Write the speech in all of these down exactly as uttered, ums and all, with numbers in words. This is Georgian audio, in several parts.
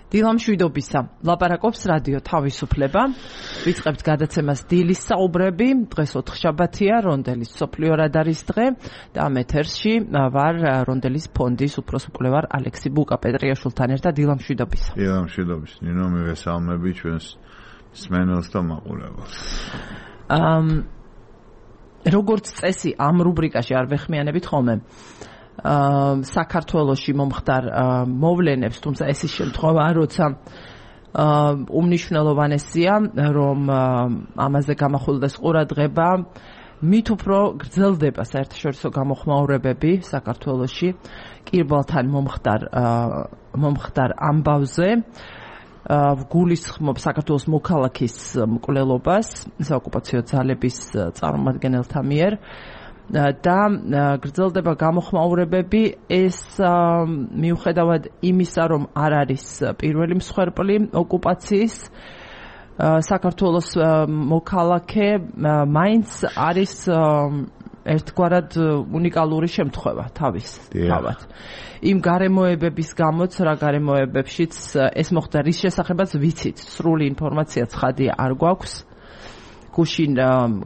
დილამშვიდობისა. ლაპარაკობს რადიო თავისუფლება. ვიწყებთ გადაცემას დილის საუბრები. დღეს ოთხშაბათია, რონდელის სოფლიო რადარის დღე და ამ ეთერში ვარ რონდელის ფონდის უფროს მკვლევარ ალექსი ბუკა-პეტრიაშვილთან ერთად. დილამშვიდობისა. დილამშვიდობის. ნინო მივესალმები ჩვენს მსმენელს და მაყურებელს. ამ როგორც წესი ამ რუბრიკაში არ ვეხმიანებით ხოლმე საქართველოში მომხდარ მოვლენებს, თუმცა ეს ის შემთხვევაა, როცა უმნიშვნელოვანესია, რომ ამაზე გამახვილდეს ყურადღება, მით უფრო გრძელდება საერთაშორისო გამოხმაურებები საქართველოში კირბალთან მომხდარ მომხდარ ამბავზე. ვგულისხმობ საქართველოს მოქალაქის მკვლელობას საოკუპაციო ძალების წარმომადგენელთა მიერ და გრძელდება გამოხმაურებები. ეს მიუხედავად იმისა, რომ არ არის პირველი მსხვერპლი ოკუპაციის, საქართველოს მოქალაქე მაინც არის ერთგვარად უნიკალური შემთხვევა თავის თავად. იმ გარემოებების გამოც, რა გარემოებებშიც ეს მოხდა, რის შესახებაც ვიცით, სრული ინფორმაცია ცხადია არ გვაქვს. გუშინ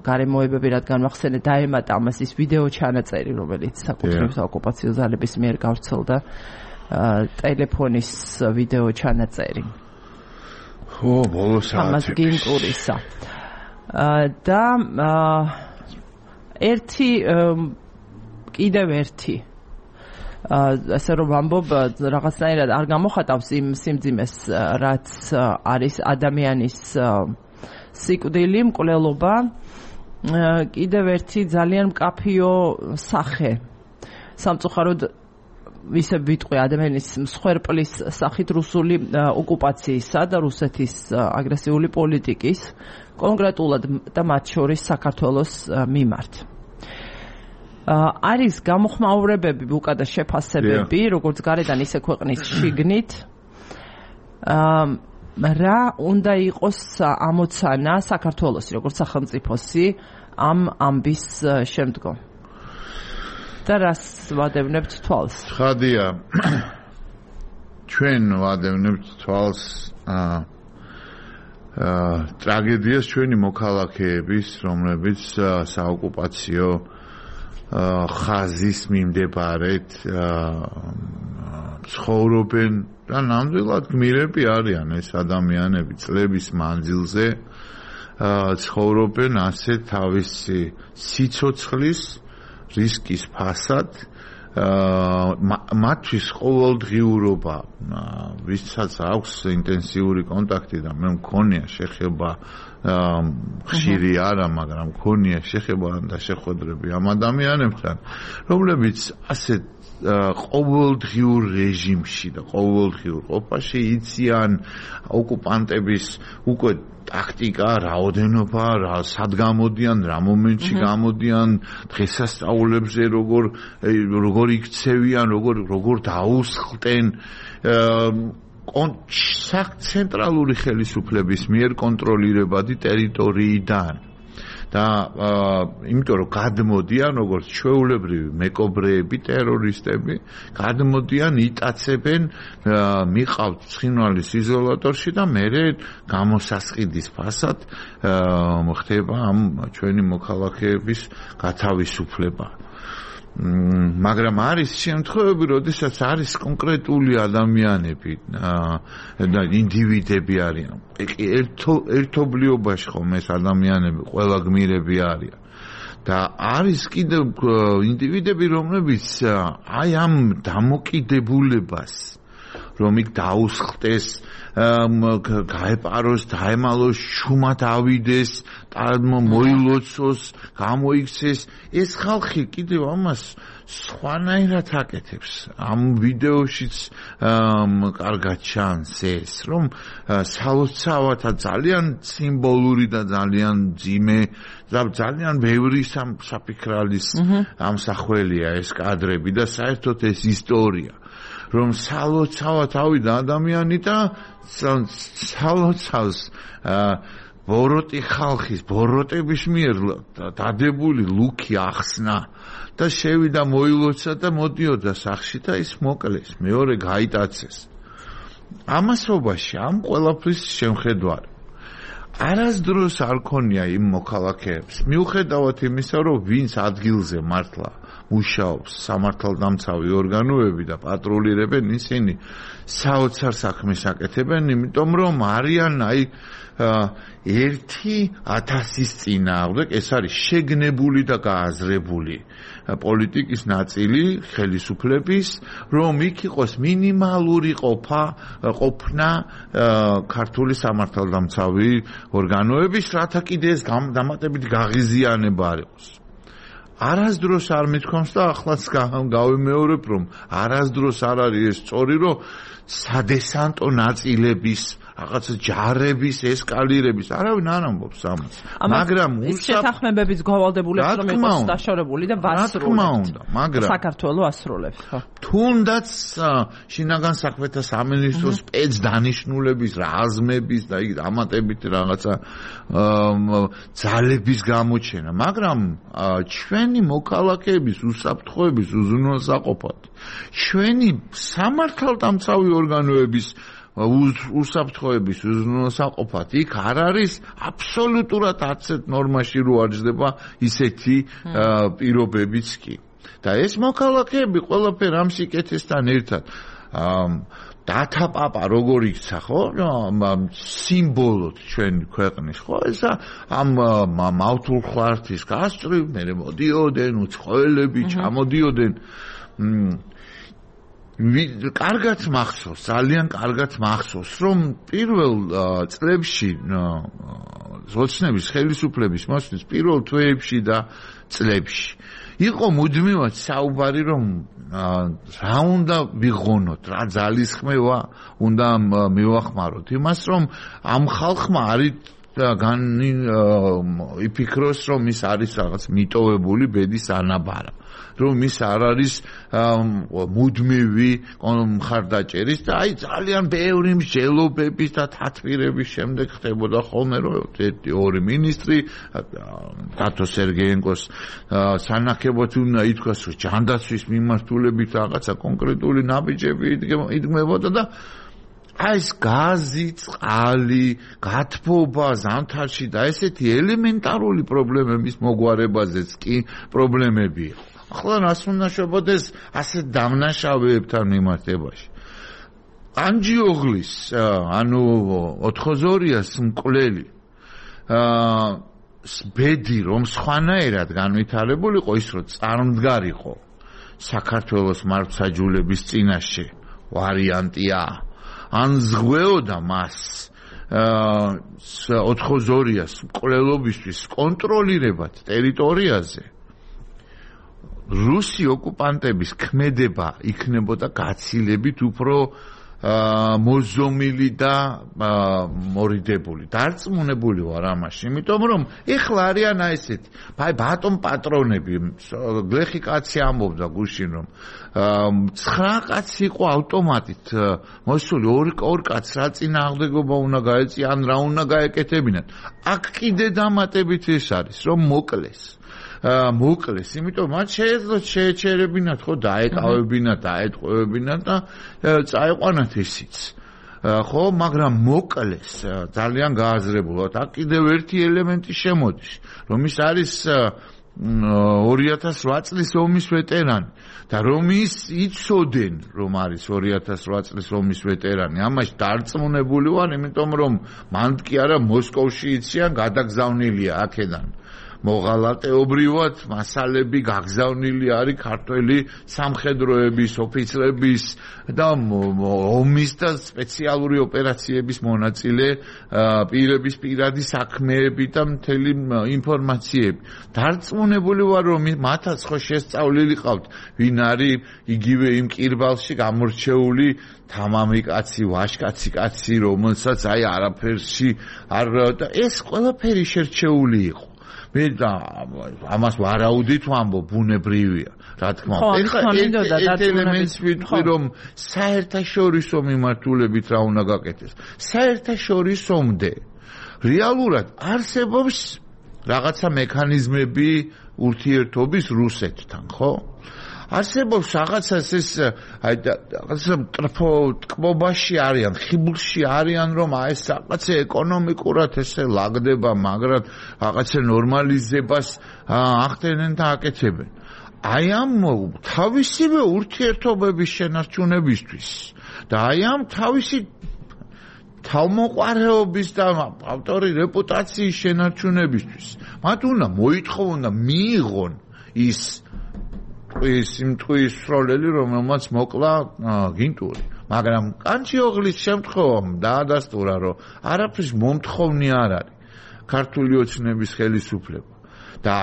გარემოებები, რადგან მახსენე, დაემატა ამას ის ვიდეო ჩანაწერი, რომელიც საკუთრივ საოკუპაციო ძალების მიერ გავრცელდა, ტელეფონის ვიდეო ჩანაწერი. ხო, ბოლო საათებში. ამას გინტურისა. და ერთი კიდევ ერთი ასე რომ ვამბობ, რაღაცნაირად არ გამოხატავს იმ სიმძიმეს, რაც არის ადამიანის სიკვდილი, მკვლელობა, კიდევ ერთი ძალიან მკაფიო სახე. სამწუხაროდ ისე ვიტყვი ადამიანის მსხვერპლის სახით რუსული ოკუპაციისა და რუსეთის აგრესიული პოლიტიკის, კონკრეტულად და მათ შორის საქართველოს მიმართ. არის გამოხმაურებები ბუკა და შეფასებები, როგორც გარედან ისე ქვეყნის შიგნით. რა უნდა იყოს ამოცანა საქართველოსი, როგორც სახელმწიფოსი ამ ამბის შემდგომ? და რას ვადევნებთ თვალს? ხადია, ჩვენ ვადევნებთ თვალს ტრაგედიას ჩვენი მოქალაქეების, რომლებიც საოკუპაციო ხაზის მიმდებარედ ცხოვრობენ და ნამდვილად გმირები არიან ეს ადამიანები წლების მანძილზე ცხოვრობენ ასე თავისი სიცოცხლის რისკის ფასად მათთვის ყოველდღიურობა ვისაც აქვს ინტენსიური კონტაქტი და მე მქონია შეხება ხშირი არა, მაგრამ მქონია შეხება და შეხვედრები ამ ადამიანებთან, რომლებიც ასე ყოველდღიურ რეჟიმში და ყოველდღიურ ყოფაში იციან ოკუპანტების უკვე ტაქტიკა, რაოდენობა, რა სად გამოდიან, რა მომენტში გამოდიან, დღესასწაულებზე როგორ როგორ იქცევიან, როგორ როგორ დაუსხლტენ ცენტრალური ხელისუფლების მიერ კონტროლირებადი ტერიტორიიდან. და იმიტომ რომ გადმოდიან როგორც ჩვეულებრივი მეკობრეები, ტერორისტები, გადმოდიან, იტაცებენ, მიყავთ ცხინვალის იზოლატორში და მერე გამოსასყიდის ფასად ხდება ამ ჩვენი მოქალაქეების გათავისუფლება. მაგრამ არის შემთხვევები, როდესაც არის კონკრეტული ადამიანები და ინდივიდები არიან. ერთობლიობაში ხომ ეს ადამიანები ყველა გმირები არიან. და არის კიდევ ინდივიდები, რომლებიც აი ამ დამოკიდებულებას, რომ იქ დაუსხლტეს, გაეპაროს, დაემალოს, შუმად ავიდეს, მოილოცოს, გამოიქცეს, ეს ხალხი კიდევ ამას სხვანაირად აკეთებს. ამ ვიდეოშიც კარგად ჩანს ეს, რომ სალოცავად ძალიან სიმბოლური და ძალიან ძიმე და ძალიან ბევრი საფიქრალის ამსახველია ეს კადრები და საერთოდ ეს ისტორია. რომ სალოცავად ავიდა ადამიანი და სალოცავს ბოროტი ხალხის, ბოროტების მიერ დადებული ლუქი ახსნა და შევიდა მოილოცა და მოდიოდა სახში და ის მოკლეს, მეორე გაიტაცეს. ამასობაში ამ ყველაფრის შემხედვარი არასდროს არ ქონია იმ მოქალაქეებს მიუხედავად იმისა რომ ვინც ადგილზე მართლა მუშაობს სამართალდამცავი ორგანოები და პატრულირებენ ისინი საოცარ საქმეს აკეთებენ იმიტომ რომ არიან აი ერთი ათასის წინააღმდეგ ეს არის შეგნებული და გააზრებული პოლიტიკის ნაწილი ხელისუფლების რომ იქ იყოს მინიმალური ყოფა ყოფნა ქართული სამართალდამცავი ორგანოების რათა კიდე ეს დამატებითი გაღიზიანება არ იყოს არასდროს არ მithქვამს და ახლაც გავიმეორებ რომ არასდროს არ არის ეს სწორი რომ სადესანტო ნაწილების რაღაცა ჯარების ესკალირების არავინ არ ამბობს ამას მაგრამ ის შეთანხმებების გავალდებულებს რომ იყოს დაშორებული და ვასრულებთ მაგრამ საქართველოს ასრულებს ხო თუნდაც შინაგან საქმეთა სამინისტროს სპეცდანიშნულების რაზმების და იქ დამატებით რაღაცა ძალების გამოჩენა მაგრამ ჩვენი მოქალაქეების უსაფრთხოების უზრუნველსაყოფად ჩვენი სამართალდამცავი ორგანოების უსაფრთხოების უზრუნველსაყოფად იქ არ არის აბსოლუტურად არც ერთ ნორმაში რო არჯდება ისეთი პირობებიც კი და ეს მოქალაქეები ყველაფერ ამ სიკეთესთან ერთად დათა პაპა როგორ იქცა ხო სიმბოლოდ ჩვენი ქვეყნის ხო ესა ამ მავთულ ხვართის გასწრივ მე მოდიოდნენ უცხოელები ჩამოდიოდნენ კარგად მახსოვს, ძალიან კარგად მახსოვს, რომ პირველ წლებში ოცნების ხელისუფლების მოსვლის პირველ თვეებში და წლებში იყო მუდმივად საუბარი, რომ რა უნდა ვიღონოთ, რა ძალისხმევა უნდა მივახმაროთ, იმას რომ ამ ხალხმა არის განი იფიქროს, რომ ის არის რაღაც მიტოვებული ბედის ანაბარა. რომ ის არ არის მუდმივი მხარდაჭერის და აი ძალიან ბევრი მსჯელობების და თათბირების შემდეგ ხდებოდა ხოლმე რომ ერთი ორი მინისტრი დათო სერგეენკოს სანახებოდ უნდა ითქვას რომ ჯანდაცვის მიმართულებით რაღაცა კონკრეტული ნაბიჯები იდგმებოდა და აი ეს გაზი, წყალი, გათბობა ზამთარში და ესეთი ელემენტარული პრობლემების მოგვარებაზეც კი პრობლემებია. ახლა რას უნდა შევბოდეს ასე დამნაშავეებთან მიმართებაში. ანჯიოღლის, ანუ ოთხოზორიას მკვლელი ბედი რომ სხვანაირად განვითარებულიყო ის რომ წარმდგარიყო საქართველოს მართლმსაჯულების წინაშე ვარიანტია ან ზღვეოდა მას ოთხოზორიას მკვლელობისთვის კონტროლირებად ტერიტორიაზე რუსი ოკუპანტების ქმედება იქნებოდა გაცილებით უფრო მოზომილი და მორიდებული. დარწმუნებული ვარ ამაში, იმიტომ რომ ეხლა არიან აი ესეთი, აი ბატონ პატრონები, გლეხი კაცი ამბობდა გუშინ რომ ცხრა კაცი იყო ავტომატით მოსული ორი ორი კაცს რა წინააღმდეგობა უნდა გაეწია, ან რა უნდა გაეკეთებინათ. აქ კიდე დამატებით ეს არის, რომ მოკლეს. მოკლეს, იმიტომ მათ შეეძლოთ შეეჩერებინათ ხო დაეკავებინათ, დაეტყვევებინათ და წაიყვანათ ისიც. ხო, მაგრამ მოკლეს ძალიან გააზრებულად. აქ კიდევ ერთი ელემენტი შემოდის, რომ ის არის ორი ათას რვა წლის ომის ვეტერანი და რომ ის იცოდენ, რომ არის ორი ათას რვა წლის ომის ვეტერანი. ამაში დარწმუნებული ვარ, იმიტომ რომ მან კი არა მოსკოვში იციან, გადაგზავნილია აქედან. მოღალატეობრივად მასალები გაგზავნილი არის ქართველი სამხედროების ოფიცრების და ომის და სპეციალური ოპერაციების მონაწილე პირების პირადი საქმეები და მთელი ინფორმაციები. დარწმუნებული ვარ რომ მათაც ხო შესწავლილი ყავთ ვინ არის იგივე იმ კირბალში გამორჩეული თამამი კაცი, ვაშკაცი კაცი, რომელსაც აი არაფერში არ და ეს ყველაფერი შერჩეული იყო. მე და ამას ვარაუდით ვამბობ ბუნებრივია რა თქმა უნდა ეხლა ერთ ელემენტს ვიტყვი რომ საერთაშორისო მიმართულებით რა უნდა გაკეთდეს საერთაშორისომდე რეალურად არსებობს რაღაცა მექანიზმები ურთიერთობის რუსეთთან ხო არსებობს რაღაცას ეს აი რაღაცა ტრფო ტკბობაში არიან, ხიბლში არიან, რომ აი ეს რაღაცა ეკონომიკურად ესე ლაგდება, მაგრამ რაღაცა ნორმალიზებას ახდენენ და აკეთებენ. აი ამ თავისივე ურთიერთობების შენარჩუნებისთვის და აი ამ თავისი თავმოყარეობის და ავტორი რეპუტაციის შენარჩუნებისთვის მათ უნდა მოითხოვონ და მიიღონ ის ის იმ ტყუის სროლელი, რომელმაც მოკლა გინტური. მაგრამ კანჩიოღლის შემთხვევამ დაადასტურა, რომ არაფრის მომთხოვნი არ არის ქართული ოცნების ხელისუფლება და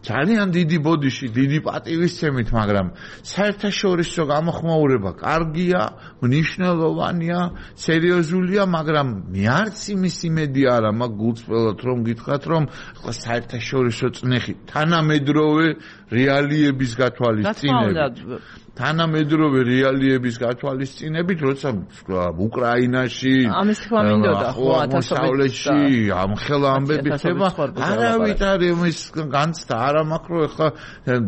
ძალიან დიდი ბოდიში, დიდი პატივისცემით, მაგრამ საერთაშორისო გამოხმაურება კარგია, მნიშვნელოვანია, სერიოზულია, მაგრამ მე არც იმის იმედი არა მაქვს გულწრფელად რომ გითხრათ, რომ საერთაშორისო წნეხი თანამედროვე რეალიების გათვალისწინებით თანამედროვე რეალიების გათვალისწინებით, როცა უკრაინაში, ამის თქმა მინდოდა, ხო, ათასობით ამხელა ამბები ხდება, არავით არ იმის განცდა არ მაქვს, რომ ეხლა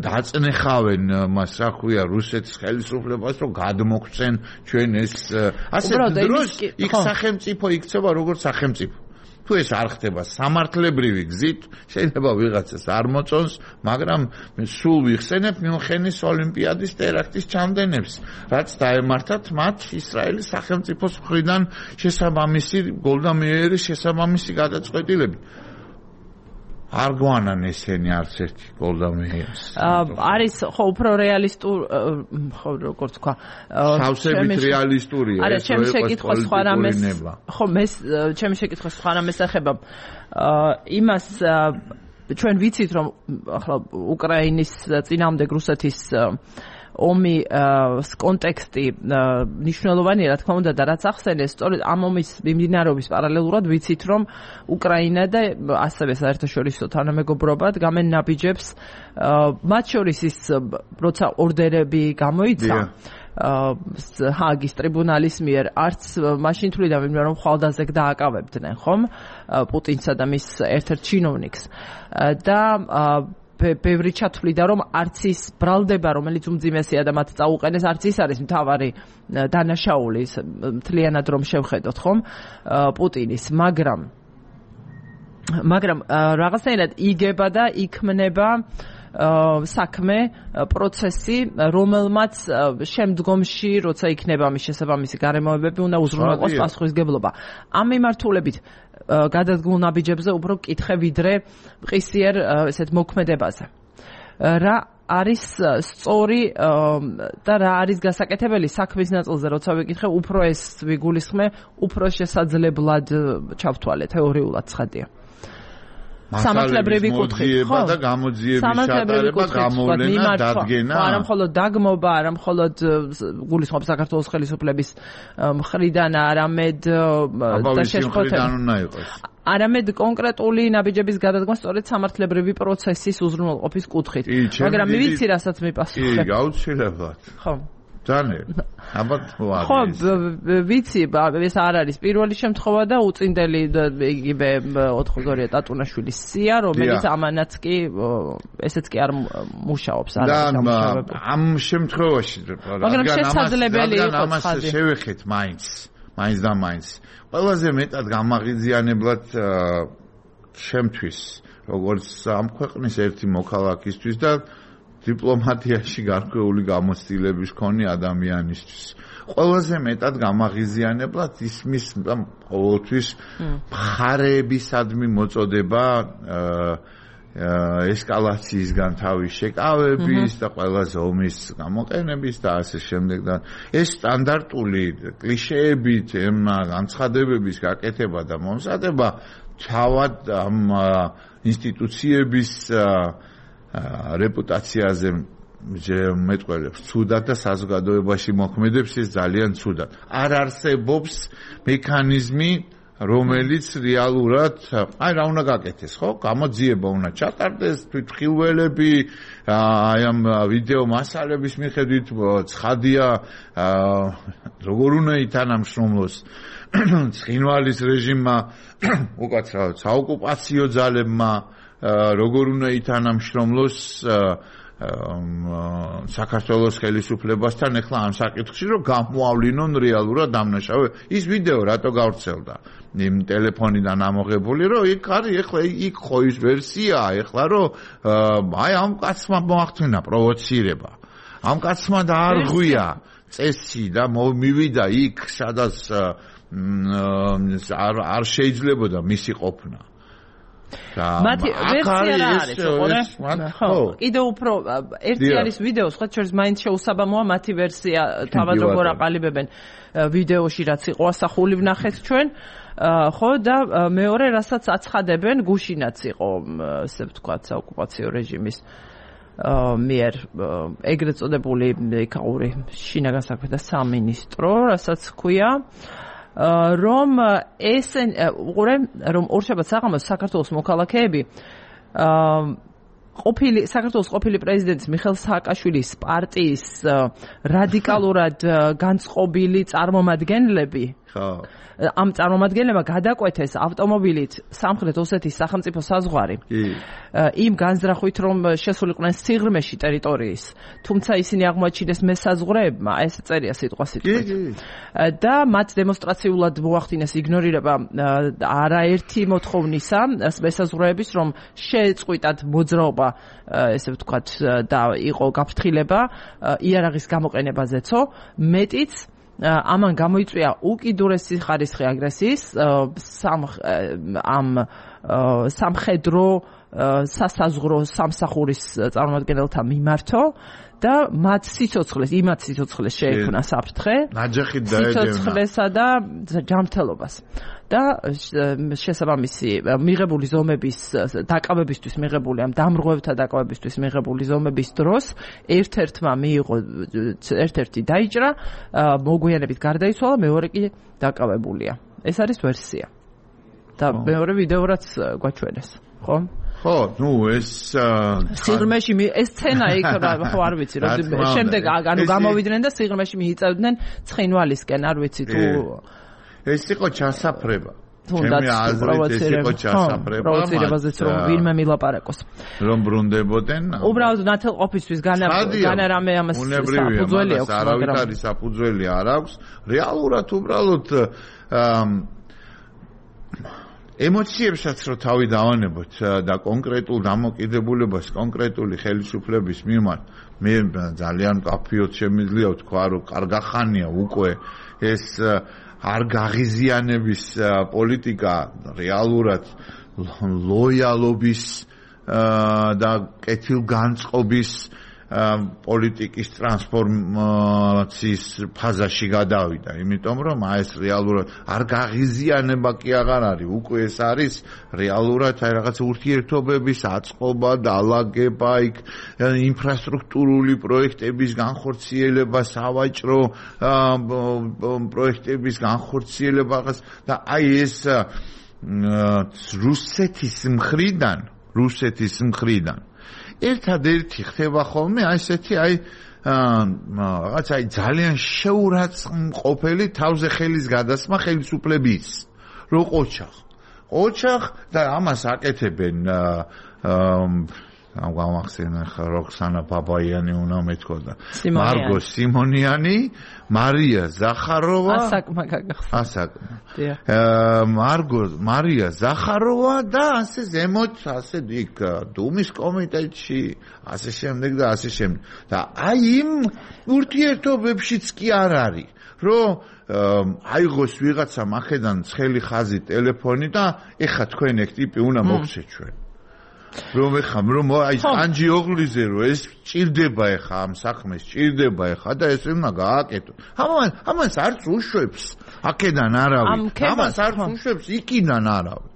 დაწნეხავენ მას, რა ქვია, რუსეთის ხელისუფლებას, რომ გადმოგცენ ჩვენ ეს ასე დროს იქ სახელმწიფო იქცევა როგორც სახელმწიფო. თუ ეს არ ხდება სამართლებრივი გზით, შეიძლება ვიღაცას არ მოწონს, მაგრამ სულ ვიხსენებ მიუნხენის ოლიმპიადის ტერაქტის ჩამდენებს, რაც დაემართათ მათ ისრაელის სახელმწიფოს მხრიდან შესაბამისი გოლდა მეიერის შესაბამისი გადაწყვეტილები. არ გვანან ესენი არც ერთი გოლდა მეიერს. არის ხო უფრო რეალისტურ, ხო როგორც თქვა, სავსებით რეალისტურია ეს ჩემი შეკითხვა სხვა რამეს, ხო მე ჩემი შეკითხვა სხვა რამეს ეხება იმას ჩვენ ვიცით რომ ახლა უკრაინის წინააღმდეგ რუსეთის ომი კონტექსტი მნიშვნელოვანია, რა თქმა უნდა, და რაც ახსენეს, სწორედ ამ ომის მიმდინარეობის პარალელურად ვიცით, რომ უკრაინა და ასევე საერთაშორისო თანამეგობრობა გამენ ნაბიჯებს, მათ შორის ის როცა ორდერები გამოიცა ჰააგის ტრიბუნალის მიერ, არც მაშინ თვლიდა ვინმე რომ ხვალდაზე დააკავებდნენ, ხომ? პუტინსა და მის ერთ-ერთ ჩინოვნიკს. და ბევრი ჩათვლიდა, რომ არც ის ბრალდება, რომელიც უმძიმესია და მათ წაუყენეს, არც ის არის მთავარი დანაშაული, მთლიანად რომ შევხედოთ, ხომ? პუტინის, მაგრამ მაგრამ რაღაცნაირად იგება და იქმნება საქმე, პროცესი, რომელმაც შემდგომში, როცა იქნება მის შესაბამისი გარემოებები, უნდა უზრუნველყოს პასუხისგებლობა. ამ მიმართულებით გადადგმულ ნაბიჯებზე უფრო კითხე ვიდრე მყისიერ ესეთ მოქმედებაზე. რა არის სწორი და რა არის გასაკეთებელი საქმის ნაწილზე, როცა ვიკითხე, უფრო ეს ვიგულისხმე, უფრო შესაძლებლად ჩავთვალე თეორიულად ცხადია. სამართლებრივი კუთხით, ხო? და გამოძიების ჩატარება, გამოვლენა, დადგენა. არა მხოლოდ დაგმობა, არა მხოლოდ გულისხმობს საქართველოს ხელისუფლების მხრიდან, არამედ და შეშფოთება. არამედ კონკრეტული ნაბიჯების გადადგმა სწორედ სამართლებრივი პროცესის უზრუნველყოფის კუთხით. მაგრამ მე ვიცი, რასაც მიპასუხებ. კი, გაუცილებლად. ხო. ძალიან. აბათ ვარ. ხო, ვიცი, ეს არ არის პირველი შემთხვევა და უწინდელი იგივე ოთხგორია ტატუნაშვილის სია, რომელიც ამანაც კი ესეც კი არ მუშაობს, არ არის ამუშავებული. ამ შემთხვევაში, მაგრამ შესაძლებელი იყო ამას შევეხეთ მაინც, მაინც და მაინც. ყველაზე მეტად გამაღიზიანებლად შემთვის, როგორც ამ ქვეყნის ერთი მოქალაქისთვის და დიპლომატიაში გარკვეული გამოცდილების მქონე ადამიანისთვის. ყველაზე მეტად გამაღიზიანებლად ისმის ყოველთვის მხარეებისადმი მოწოდება ესკალაციისგან თავის შეკავების და ყველაზე ომის გამოყენების და ასე შემდეგ და ეს სტანდარტული კლიშეებით ემა განცხადებების გაკეთება და მომზადება თავად ამ ინსტიტუციების რეპუტაციაზე მეტყველებს ცუდად და საზოგადოებაში მოქმედებს ეს ძალიან ცუდად. არ არსებობს მექანიზმი, რომელიც რეალურად, აი რა უნდა გაკეთდეს, ხო? გამოძიება უნდა ჩატარდეს, თვითმხილველები, აი ამ ვიდეო მასალების მიხედვით ცხადია, როგორ უნდა ითანამშრომლოს ცხინვალის რეჟიმმა, უკაცრავად საოკუპაციო ძალებმა, როგორ უნდა ითანამშრომლოს საქართველოს ხელისუფლებასთან ეხლა ამ საკითხში რომ გამოავლინონ რეალურად დამნაშავე ის ვიდეო რატო გავრცელდა იმ ტელეფონიდან ამოღებული რომ იქ არის ეხლა იქ ხო ის ვერსიაა ეხლა რომ აი ამ კაცმა მოახდინა პროვოცირება ამ კაცმა დაარღვია წესი და მივიდა იქ სადაც არ არ შეიძლებოდა მისი ყოფნა მათი ვერსია რა არის ხო კიდევ უფრო ერთი არის ვიდეო სხვა შორის მაინც შეუსაბამოა მათი ვერსია თავად როგორ აყალიბებენ ვიდეოში რაც იყო ასახული ვნახეთ ჩვენ ხო და მეორე რასაც აცხადებენ გუშინაც იყო ესე ვთქვათ საოკუპაციო რეჟიმის მიერ ეგრეთ წოდებული ეკაური შინაგან საქმეთა სამინისტრო რასაც ქვია რომ ეს უყურე რომ ორშაბათ საღამოს საქართველოს მოქალაქეები ყოფილი საქართველოს ყოფილი პრეზიდენტის მიხეილ სააკაშვილის პარტიის რადიკალურად განწყობილი წარმომადგენლები ხო ამ წარმომადგენლებმა გადაკვეთეს ავტომობილით სამხრეთ ოსეთის სახელმწიფო საზღვარი იმ განზრახვით რომ შესულიყვნენ სიღრმეში ტერიტორიის თუმცა ისინი აღმოაჩინეს მესაზღვრეებმა ეს წერია სიტყვა სიტყვით და მათ დემონსტრაციულად მოახდინეს იგნორირება არაერთი მოთხოვნისა მესაზღვრეების რომ შეეწყვიტათ მოძრაობა ესე ვთქვათ და იყო გაფრთხილება იარაღის გამოყენებაზეცო მეტიც ამან გამოიწვია უკიდურესი ხარისხი აგრესიის ამ სამხედრო სასაზღვრო სამსახურის წარმომადგენელთა მიმართო და მათ სიცოცხლეს იმათ სიცოცხლეს შეექმნა საფრთხე ნაჯახით დაედევნა სიცოცხლესა და ჯანმრთელობას და შესაბამისი მიღებული ზომების დაკავებისთვის მიღებული ამ დამრღვევთა დაკავებისთვის მიღებული ზომების დროს ერთ-ერთმა მიიღო ერთ-ერთი დაიჭრა მოგვიანებით გარდაიცვალა მეორე კი დაკავებულია ეს არის ვერსია და მეორე ვიდეო რაც გვაჩვენეს ხო ხო, ნუ ეს სიღრმეში ეს სცენა იქ ხო არ ვიცი რომ შემდეგ ანუ გამოვიდნენ და სიღრმეში მიიწევდნენ ცხინვალისკენ არ ვიცი თუ ეს იყო ჩასაფრება თუნდაც პროვოცირება პროვოცირებაზეც რომ ვინმე მილაპარაკოს რომ ბრუნდებოდნენ უბრალოდ ნათელყოფისთვის განა რამე ამას საფუძველი აქვს მაგრამ არავითარი საფუძველი არ აქვს რეალურად უბრალოდ ემოციებსაც რო თავი დავანებოთ და კონკრეტულ დამოკიდებულებას კონკრეტული ხელისუფლების მიმართ მე ძალიან კაფიოდ შემიძლია ვთქვა რომ კარგახანია უკვე ეს არ გაღიზიანების პოლიტიკა რეალურად ლოიალობის და კეთილგანწყობის პოლიტიკის ტრანსფორმაციის ფაზაში გადავიდა, იმიტომ რომ აი ეს რეალურად არ გაღიზიანება კი აღარ არის, უკვე ეს არის რეალურად აი რაღაც ურთიერთობების აწყობა, დალაგება, იქ ინფრასტრუქტურული პროექტების განხორციელება, სავაჭრო პროექტების განხორციელება და აი ეს რუსეთის მხრიდან, რუსეთის მხრიდან ერთადერთი ხდება ხოლმე აი ესეთი აი რაღაც აი ძალიან შეურაცხმყოფელი თავზე ხელის გადასმა ხელისუფლების რო ყოჩახ ყოჩახ და ამას აკეთებენ ამ გამახსენა როქსანა ბაბაიანი უნდა მეთქოდა მარგო სიმონიანი მარია ზახაროვა ასაკმა გაგახსნა ასაკმა მარგო მარია ზახაროვა და ასე ზემოთ ასე იქ დუმის კომიტეტში ასე შემდეგ და ასე შემდეგ და აი იმ ურთიერთობებშიც კი არ არის რომ აიღოს ვიღაცა მახედან ცხელი ხაზი ტელეფონი და ეხა თქვენ ეგ ტიპი უნდა მოგცეთ ჩვენ რომ ეხა რომ აი ანჯი ოღლიზე რომ ეს ჭირდება ეხა ამ საქმეს ჭირდება ეხა და ეს უნდა გააკეთო ამან ამას არც უშვებს აქედან არავის ამას არც უშვებს იქიდან არავის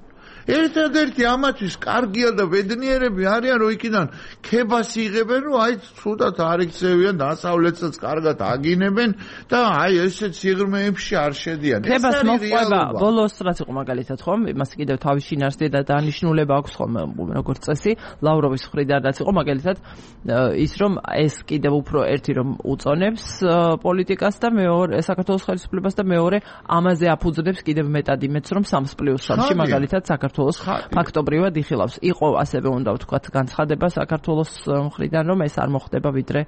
ერთადერთი ამათვის კარგია და ბედნიერები არიან რომ იქიდან ქებას იღებენ რომ აი ცუდად არ იქცევიან დასავლეთსაც კარგად აგინებენ და აი ესეც სიღრმეებში არ შედიან ქებას მოყვება ბოლოს რაც იყო მაგალითად ხომ იმას კიდევ თავის შინაარსი და დანიშნულება აქვს ხომ როგორც წესი ლავროვის მხრიდან რაც იყო მაგალითად ის რომ ეს კიდევ უფრო ერთი რომ უწონებს პოლიტიკას და მეორე საქართველოს ხელისუფლებას და მეორე ამაზე აფუძნებს კიდევ მეტად იმედს რომ სამს პლუს სამში მაგალითად საქართველოს საქართველოს ფაქტობრივად იხილავს. იყო ასევე უნდა ვთქვათ განცხადება საქართველოს მხრიდან, რომ ეს არ მოხდება ვიდრე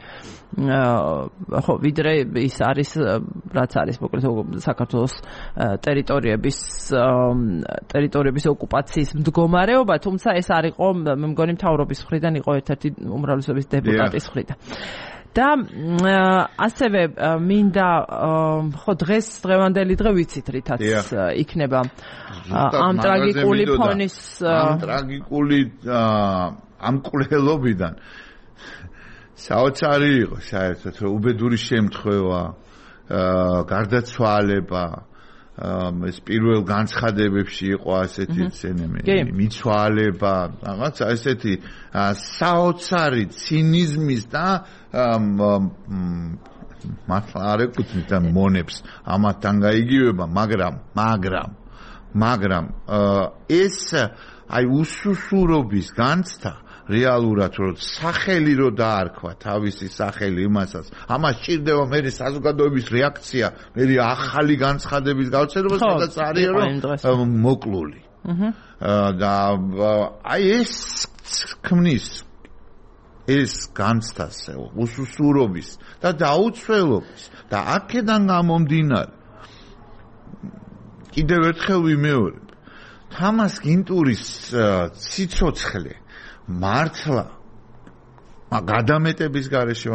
ხო, ვიდრე ის არის რაც არის მოკლედ საქართველოს ტერიტორიების ტერიტორიების ოკუპაციის მდგომარეობა, თუმცა ეს არ იყო, მე მგონი მთავრობის მხრიდან იყო ერთ-ერთი უმრავლესობის დეპუტატის მხრიდან. და ასევე მინდა ხო დღეს დღევანდელი დღე ვიცით რითაც იქნება ამ ტრაგიკული ფონის ამ ტრაგიკული ამ კვლელობიდან საოცარი იყო საერთოდ რომ უბედური შემთხვევა გარდაცვალება ეს პირველ განცხადებებში იყო ასეთი მიცვალება რაღაც ესეთი საოცარი ცინიზმის და მართლა არ ეკუთვნით და მონებს ამათთან გაიგივება, მაგრამ მაგრამ მაგრამ ეს აი უსუსურობის განცდა რეალურად რომ სახელი რო დაარქვა თავისი სახელი იმასაც ამას ჭირდება მე საზოგადოების რეაქცია მე ახალი განცხადების გავრცელებას სადაც არის რომ მოკლული და აი ეს ქმნის ეს განცდას უსუსურობის და დაუცველობის და აქედან გამომდინარე კიდევ ერთხელ ვიმეორებ თამას გინტურის ციცოცხლე მართლა გადამეტების გარეშე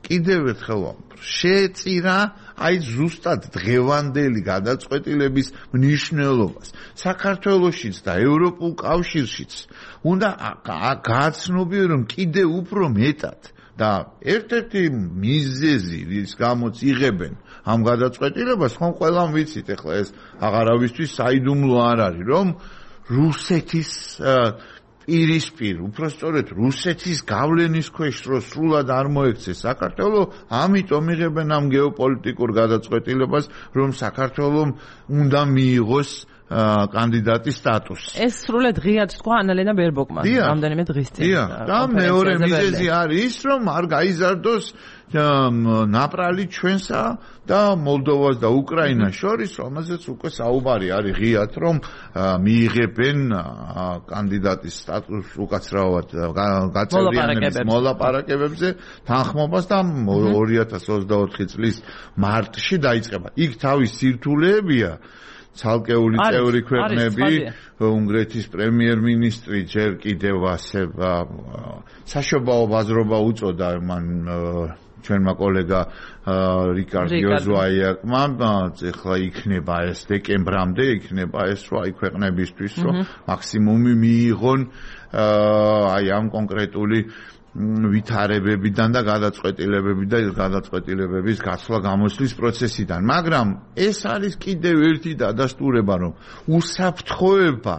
კიდევ ერთხელ შეეწირა აი ზუსტად დღევანდელი გადაწყვეტილების მნიშვნელობას საქართველოშიც და ევროპულ კავშირშიც უნდა გააცნობიო რომ კიდევ უფრო მეტად და ერთ-ერთი მიზეზი რის გამოც იღებენ ამ გადაწყვეტილებას ხომ ყველამ ვიცით ეხლა ეს აღარავისთვის საიდუმლო არ არის რომ რუსეთის პირისპირ, უпростоრეთ რუსეთის გავლენის ქვეშ რო სრულად არ მოექცეს საქართველოს, ამიტომ იღებენ ამ გეოპოლიტიკურ გადაწყვეტილებას, რომ საქართველოს უნდა მიიღოს კანდიდატის სტატუსი. ეს სრულად ღიად თქვა ანალენა ბერბოკმა რამდენიმე დღის წინ. და მეორე მიზეზი არის ის, რომ არ გაიზარდოს ნაპრალი ჩვენსა და მოლდოვას და უკრაინას შორის, რომელზეც უკვე საუბარი არის ღიად, რომ მიიღებენ კანდიდატის სტატუსს უკაცრავად გაწევრიანების მოლაპარაკებებზე თანხმობას და ორი ათას ოცდაოთხი წლის მარტში დაიწყება. იქ თავის სირთულეებია ცალკეული წევრი ქვეყნები, უნგრეთის პრემიერ-მინისტრი ჯერ კიდევ ასე საშობაო ბაზრობა უწოდა მან ჩვენმა კოლეგა რიკარდ იოზვაიაკმა, ეხლა იქნება ეს დეკემბრამდე, იქნება ეს რა აი ქვეყნებისთვის, რომ მაქსიმუმი მიიღონ აი ამ კონკრეტული ვითარებებიდან და გადაწყვეტილებებიდან და გადაწყვეტილებების გაცვლა გამოსვლის პროცესიდან. მაგრამ ეს არის კიდევ ერთი დადასტურება, რომ უსაფრთხოება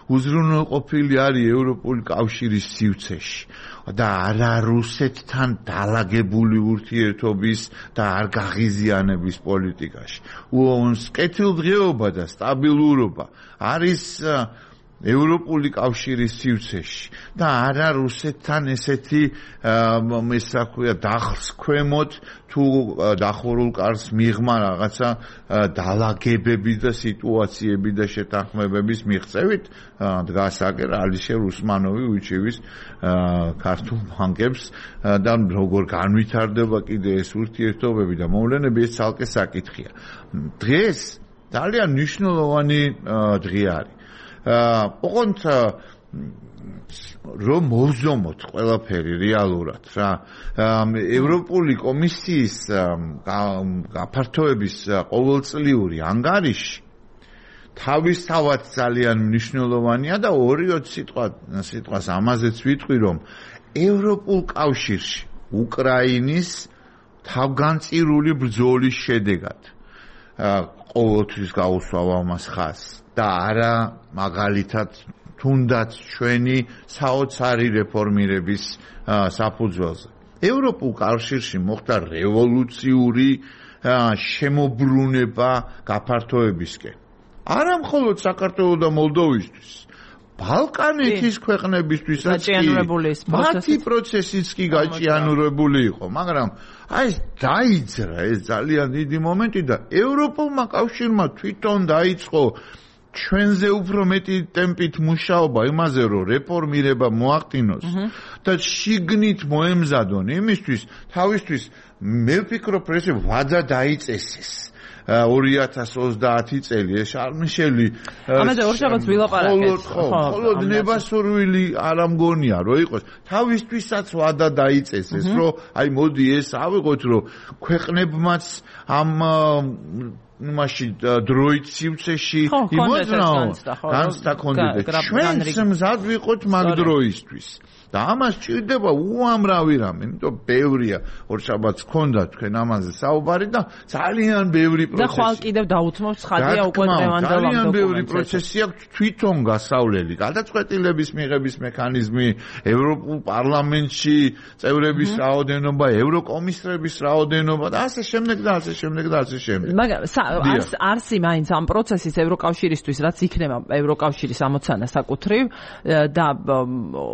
უზრუნველყოფილი არის ევროპული კავშირის სივრცეში და არა რუსეთთან დალაგებული ურთიერთობის და არ გაღიზიანების პოლიტიკაში. უონს კეთილდღეობა და სტაბილურობა არის ევროპული კავშირის სივრცეში და არა რუსეთთან ესეთი ესე ქვია დახს ქვემოთ თუ დახურულ კარს მიღმა რაღაცა დალაგებები და სიტუაციები და შეთანხმებების მიღწევით დგას აგერ ალიშერ უსმანოვი უჩივის ქართულ ბანკებს და როგორ განვითარდება კიდე ეს ურთიერთობები და მოვლენები ეს ცალკე საკითხია. დღეს ძალიან მნიშვნელოვანი დღე არის. ოღონდ რომ მოვზომოთ ყველაფერი რეალურად რა ევროპული კომისიის გაფართოების ყოველწლიური ანგარიში თავისთავად ძალიან მნიშვნელოვანია და ორი-ოც სიტყვა სიტყვას ამაზეც ვიტყვი რომ ევროპულ კავშირში უკრაინის თავგანწირული ბრძოლის შედეგად ყოველთვის გაუსვავ ამას ხაზს და არა მაგალითად თუნდაც ჩვენი საოცარი რეფორმირების საფუძველზე. ევროპულ კავშირში მოხდა რევოლუციური შემოbrunება გაფართოებისკენ. არა მხოლოდ საქართველოს და მოლდოვისთვის, ბალკანეთის ქვეყნებისთვისაც მათი პროცესიც კი გაჭიანურებული იყო, მაგრამ აი ეს დაიძრა ეს ძალიან დიდი მომენტი და ევროპულმა კავშირმა თვითონ დაიწყო ჩვენზე უფრო მეტი ტემპით მუშაობა იმაზე, რომ რეფორმირება მოახდინოს და შიგნით მოემზადონ იმისთვის, თავისთვის მე ვფიქრობ, ეს ვადა დაიწესეს. ორი ათას ოცდაათი წელი ეს შარმიშელი ამაზე ორშაბათს ვილაპარაკეთ. ხოლო ნებასურვილი არ ამგონია რომ იყოს თავისთვისაც ვადა დაიწესეს რომ აი მოდი ეს ავიღოთ რომ ქვეყნებმაც ამ მაშინ დროით სივრცეში იმოძრაო განცდა ქონდეთ ჩვენც მზად ვიყოთ მაგ დროისთვის და ამას ჭირდება უამრავი რამე, იმიტომ ბევრია ორშაბათს ქონდა თქვენ ამაზე საუბარი და ძალიან ბევრი პროცესი. და ხვალ კიდევ დაუთმობს ხადია უკვე დღევანდელ ძალიან ბევრი პროცესი აქვს თვითონ გასავლელი. გადაწყვეტილების მიღების მექანიზმი, ევროპულ პარლამენტში წევრების რაოდენობა, ევროკომისრების რაოდენობა და ასე შემდეგ და ასე შემდეგ და ასე შემდეგ. მაგრამ არს არსი მაინც ამ პროცესის ევროკავშირისთვის, რაც იქნება ევროკავშირის ამოცანა საკუთრივ და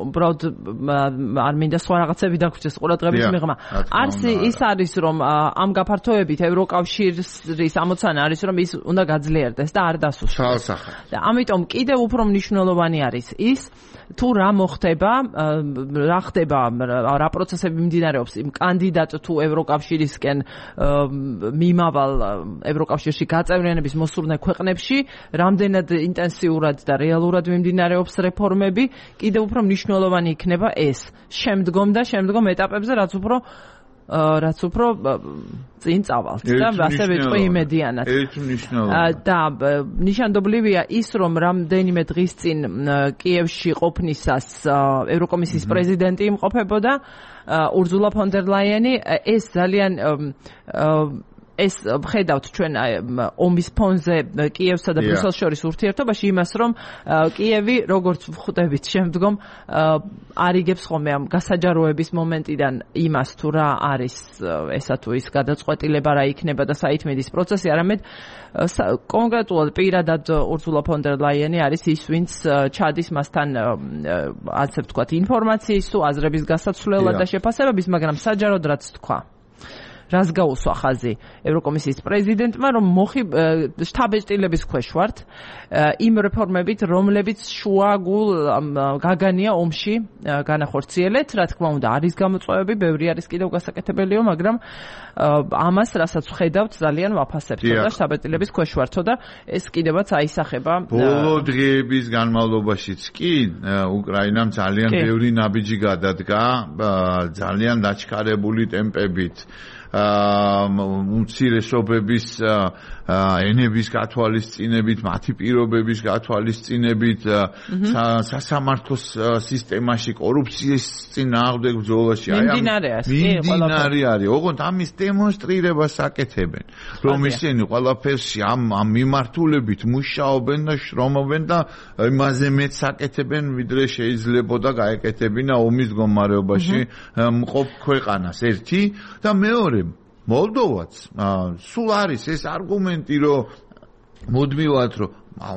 უბრალოდ არ მინდა სხვა რაღაცები დაგვრჩეს ყურადღების მიღმა. არც ის არის რომ ამ გაფართოებით ევროკავშირის ამოცანა არის რომ ის უნდა გაძლიერდეს და არ დასუსტდეს. და ამიტომ კიდევ უფრო მნიშვნელოვანი არის ის თუ რა მოხდება, რა ხდება, რა პროცესები მიმდინარეობს იმ კანდიდატ თუ ევროკავშირისკენ მიმავალ ევროკავშირში გაწევრიანების მოსურნე ქვეყნებში, რამდენად ინტენსიურად და რეალურად მიმდინარეობს რეფორმები, კიდევ უფრო მნიშვნელოვანი იქნება ეს შემდგომ და შემდგომ ეტაპებზე, რაც უფრო რაც უფრო წინ წავალთ და ასე ვიტყვი იმედიანად. ერთ მნიშვნელოვანი. და ნიშანდობლივია ის, რომ რამდენიმე დღის წინ კიევში ყოფნისას ევროკომისიის პრეზიდენტი იმყოფებოდა ურზულა ფონ დერ ლაიენი, ეს ძალიან ეს ვხედავთ ჩვენ ომის ფონზე კიევსა და ბრიუსელს შორის ურთიერთობაში იმას, რომ კიევი როგორც ვხვდებით შემდგომ არიგებს ხოლმე ამ გასაჯაროების მომენტიდან იმას თუ რა არის ესა თუ ის გადაწყვეტილება რა იქნება და საითმედის პროცესი, არამედ კონკრეტულად პირადად ურზულა ფონ დერ ლაიენი არის ის, ვინც ჩადის მასთან ასე ვთქვათ ინფორმაციის თუ აზრების გასაცვლელად და შეფასებების, მაგრამ საჯაროდ რაც თქვა რას გაუსვა ხაზი ევროკომისიის პრეზიდენტმა, რომ მოხი შთაბეჭდილების ქვეშ ვართ იმ რეფორმებით, რომლებიც შუაგულ გაგანია ომში განახორციელეთ. რა თქმა უნდა, არის გამოწვევები, ბევრი არის კიდევ გასაკეთებელიო, მაგრამ ამას, რასაც ვხედავთ, ძალიან ვაფასებთ და შთაბეჭდილების ქვეშ ვართო და ეს კიდევაც აისახება. ბოლო დღეების განმავლობაშიც კი უკრაინამ ძალიან ბევრი ნაბიჯი გადადგა, ძალიან დაჩქარებული ტემპებით. უმცირესობების ენების გათვალისწინებით, მათი პირობების გათვალისწინებით, სასამართლო სისტემაში კორუფციის წინააღმდეგ ბრძოლაში აი ამ მიმდინარე არის. ოღონდ ამის დემონსტრირებას აკეთებენ, რომ ისინი ყველაფერში ამ ამ მიმართულებით მუშაობენ და შრომობენ და იმაზე მეც აკეთებენ, ვიდრე შეიძლებოდა გაეკეთებინა ომის მდგომარეობაში მყოფ ქვეყანას. ერთი და მეორე მოლდოვაც სულ არის ეს არგუმენტი, რომ მუდმივად რომ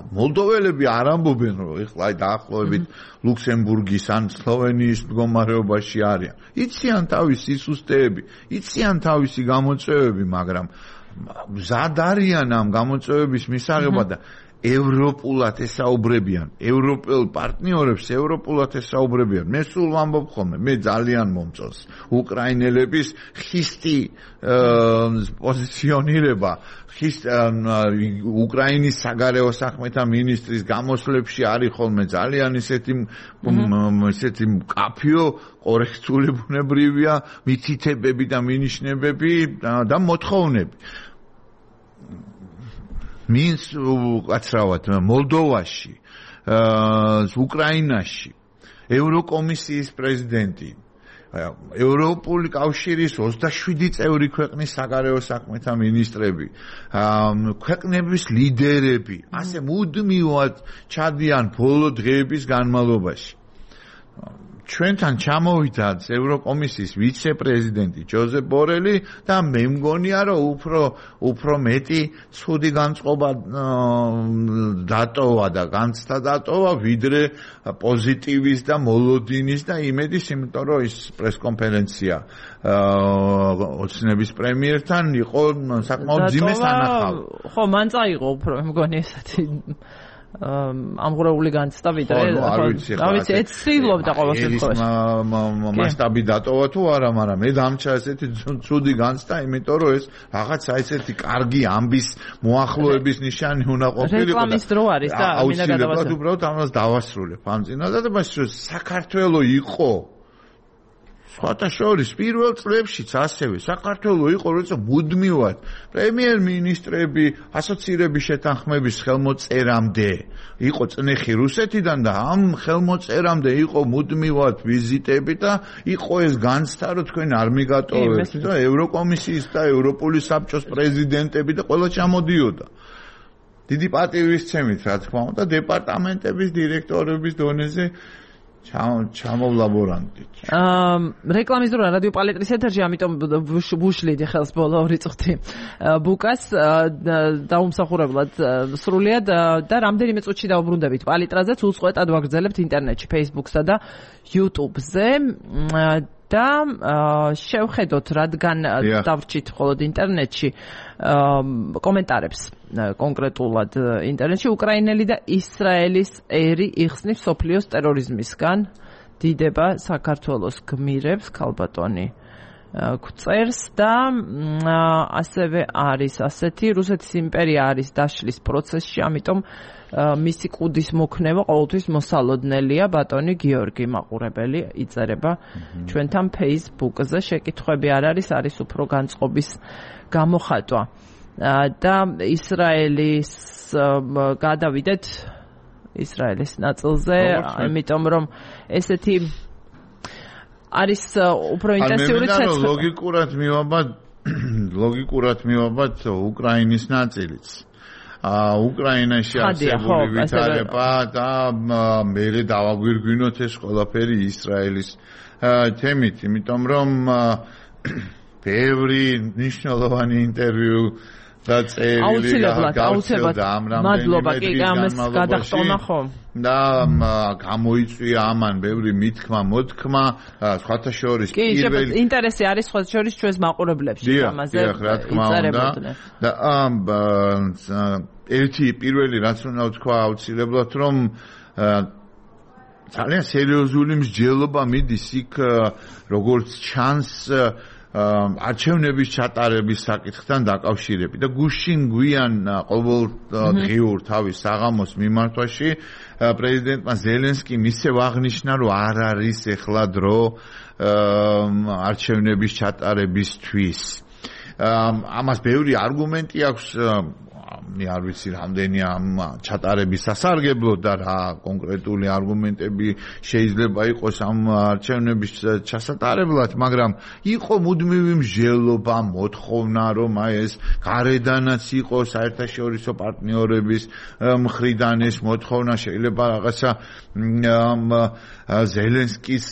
მოლდოველები არ ამბობენ, რომ ეხლა დაახლოებით ლუქსემბურგის ან სლოვენიის მდგომარეობაში არიან. იციან თავისი სისტემები, იციან თავისი გამოწვევები, მაგრამ მზად არიან ამ გამოწვევების მისაღებად და ევროპულად ესაუბრებიან, ევროპელ პარტნიორებს ევროპულად ესაუბრებიან. მე სულ ვამბობ ხოლმე, მე ძალიან მომწონს უკრაინელების ხისტი პოზიციონირება, ხის უკრაინის საგარეო საქმეთა მინისტრის გამოსვლებში არის ხოლმე ძალიან ისეთი ისეთი მკაფიო, კორექტული ბუნებრივია მითითებები და მინიშნებები და მოთხოვნები. მის კაცრავად მოლდოვაში, უკრაინაში ევროკომისიის პრეზიდენტი, ევროპული კავშირის ოცდაშვიდი წევრი ქვეყნის საგარეო საქმეთა მინისტრები, ქვეყნების ლიდერები, ასე მუდმივად ჩადიან ბოლო დღეების განმავლობაში. ჩვენთან ჩამოვიდა ევროკომისიის ვიცე-პრეზიდენტი ჯოზეფ ბორელი და მე მგონია, რომ უფრო უფრო მეტი ცუდი განწყობა დატოვა და განცდა დატოვა, ვიდრე პოზიტივის და მოლოდინის და იმედის, იმიტომ რომ ის პრესკონფერენცია ოცნების პრემიერთან იყო საკმაოდ ძიმე სანახავი. ხო, მან წაიღო უფრო, მე მგონი ესეთი ამღვრეული განცდა ვიდრე არ ვიცი რა ვიცი ეცილობდა ყოველ შემთხვევაში მასშტაბი დატოვა თუ არა მაგრამ მე დამჭა ესეთი ცუდი განცდა იმიტომ რომ ეს რაღაცა ესეთი კარგი ამბის მოახლოების ნიშანი უნდა ყოფილიყო რეკლამის დრო არის და მინდა გადავასრულო აუცილებლად უბრალოდ ამას დავასრულებ ამ წინადადებაში რომ საქართველო იყო სხვათა შორის პირველ წლებშიც ასევე საქართველო იყო როცა მუდმივად პრემიერ-მინისტრები ასოცირების შეთანხმების ხელმოწერამდე იყო წნეხი რუსეთიდან და ამ ხელმოწერამდე იყო მუდმივად ვიზიტები და იყო ეს განცდა რომ თქვენ არ მიგატოვებთ და ევროკომისიის და ევროპული საბჭოს პრეზიდენტები და ყველა ჩამოდიოდა დიდი პატივისცემით რა თქმა უნდა დეპარტამენტების დირექტორების დონეზე ჩამოვლაბორანტით. აა რეკლამის დრო რადიო პალეტრის ეთერში, ამიტომ ვუშლიდი ხელს ბოლო ორი წუთი. ბუკას დაუმსახურებლად სრულიად და რამდენიმე წუთში დავბრუნდებით პალიტრაზეც უწყვეტად ვაგრძელებთ ინტერნეტში, Facebook-სა და YouTube-ზე. და შევხედოთ რადგან დავრჩით მხოლოდ ინტერნეტში კომენტარებს კონკრეტულად ინტერნეტში უკრაინელი და ისრაელის ერი იხსნის სოფლიოს ტერორიზმისგან დიდება საქართველოს გმირებს ქალბატონი გვწერს და ასევე არის ასეთი რუსეთის იმპერია არის დაშლის პროცესში ამიტომ მისი კუდის მოქნევა ყოველთვის მოსალოდნელია ბატონი გიორგი მაყურებელი იწერება ჩვენთან Facebook-ზე შეკითხვები არ არის არის უფრო განწყობის გამოხატვა და ისრაელის გადავიდეთ ისრაელის ნაწილზე ამიტომ რომ ესეთი არის უფრო ინტენსიური ცეცხლი ლოგიკურად მივაბად ლოგიკურად მივაბად უკრაინის ნაწილიც უკრაინაში არსებული ვითარება და მერე დავაგვირგვინოთ ეს ყველაფერი ისრაელის თემით, იმიტომ რომ ბევრი მნიშვნელოვანი ინტერვიუ და წერილი გაუცილებლად მადლობა კი ამას გადახტონა ხო და გამოიწვია ამან ბევრი მithქმა მოთქმა სხვათა შორის პირველი კი ინტერესი არის სხვათა შორის ჩვენს მაყურებლებში ამაზე იწერებოდნენ და ერთი პირველი რაც უნდა ვთქვა აუცილებლად რომ ძალიან სერიოზული მსჯელობა მიდის იქ როგორც ჩანს არჩევნების ჩატარების საკითხთან დაკავშირებით და გუშინ გვიან ყოველდღიურ თავის საღამოს მიმართვაში პრეზიდენტმა ზელენსკიმ ისევ აღნიშნა რომ არ არის ეხლა დრო არჩევნების ჩატარებისთვის ამას ბევრი არგუმენტი აქვს მე არ ვიცი რამდენი ამ ჩატარების სასარგებლო და რა კონკრეტული არგუმენტები შეიძლება იყოს ამ არჩევნების ჩასატარებლად, მაგრამ იყო მუდმივი მსჯელობა, მოთხოვნა, რომ აი ეს გარედანაც იყოს საერთაშორისო პარტნიორების მხრიდან ეს მოთხოვნა შეიძლება რაღაცა ზელენსკის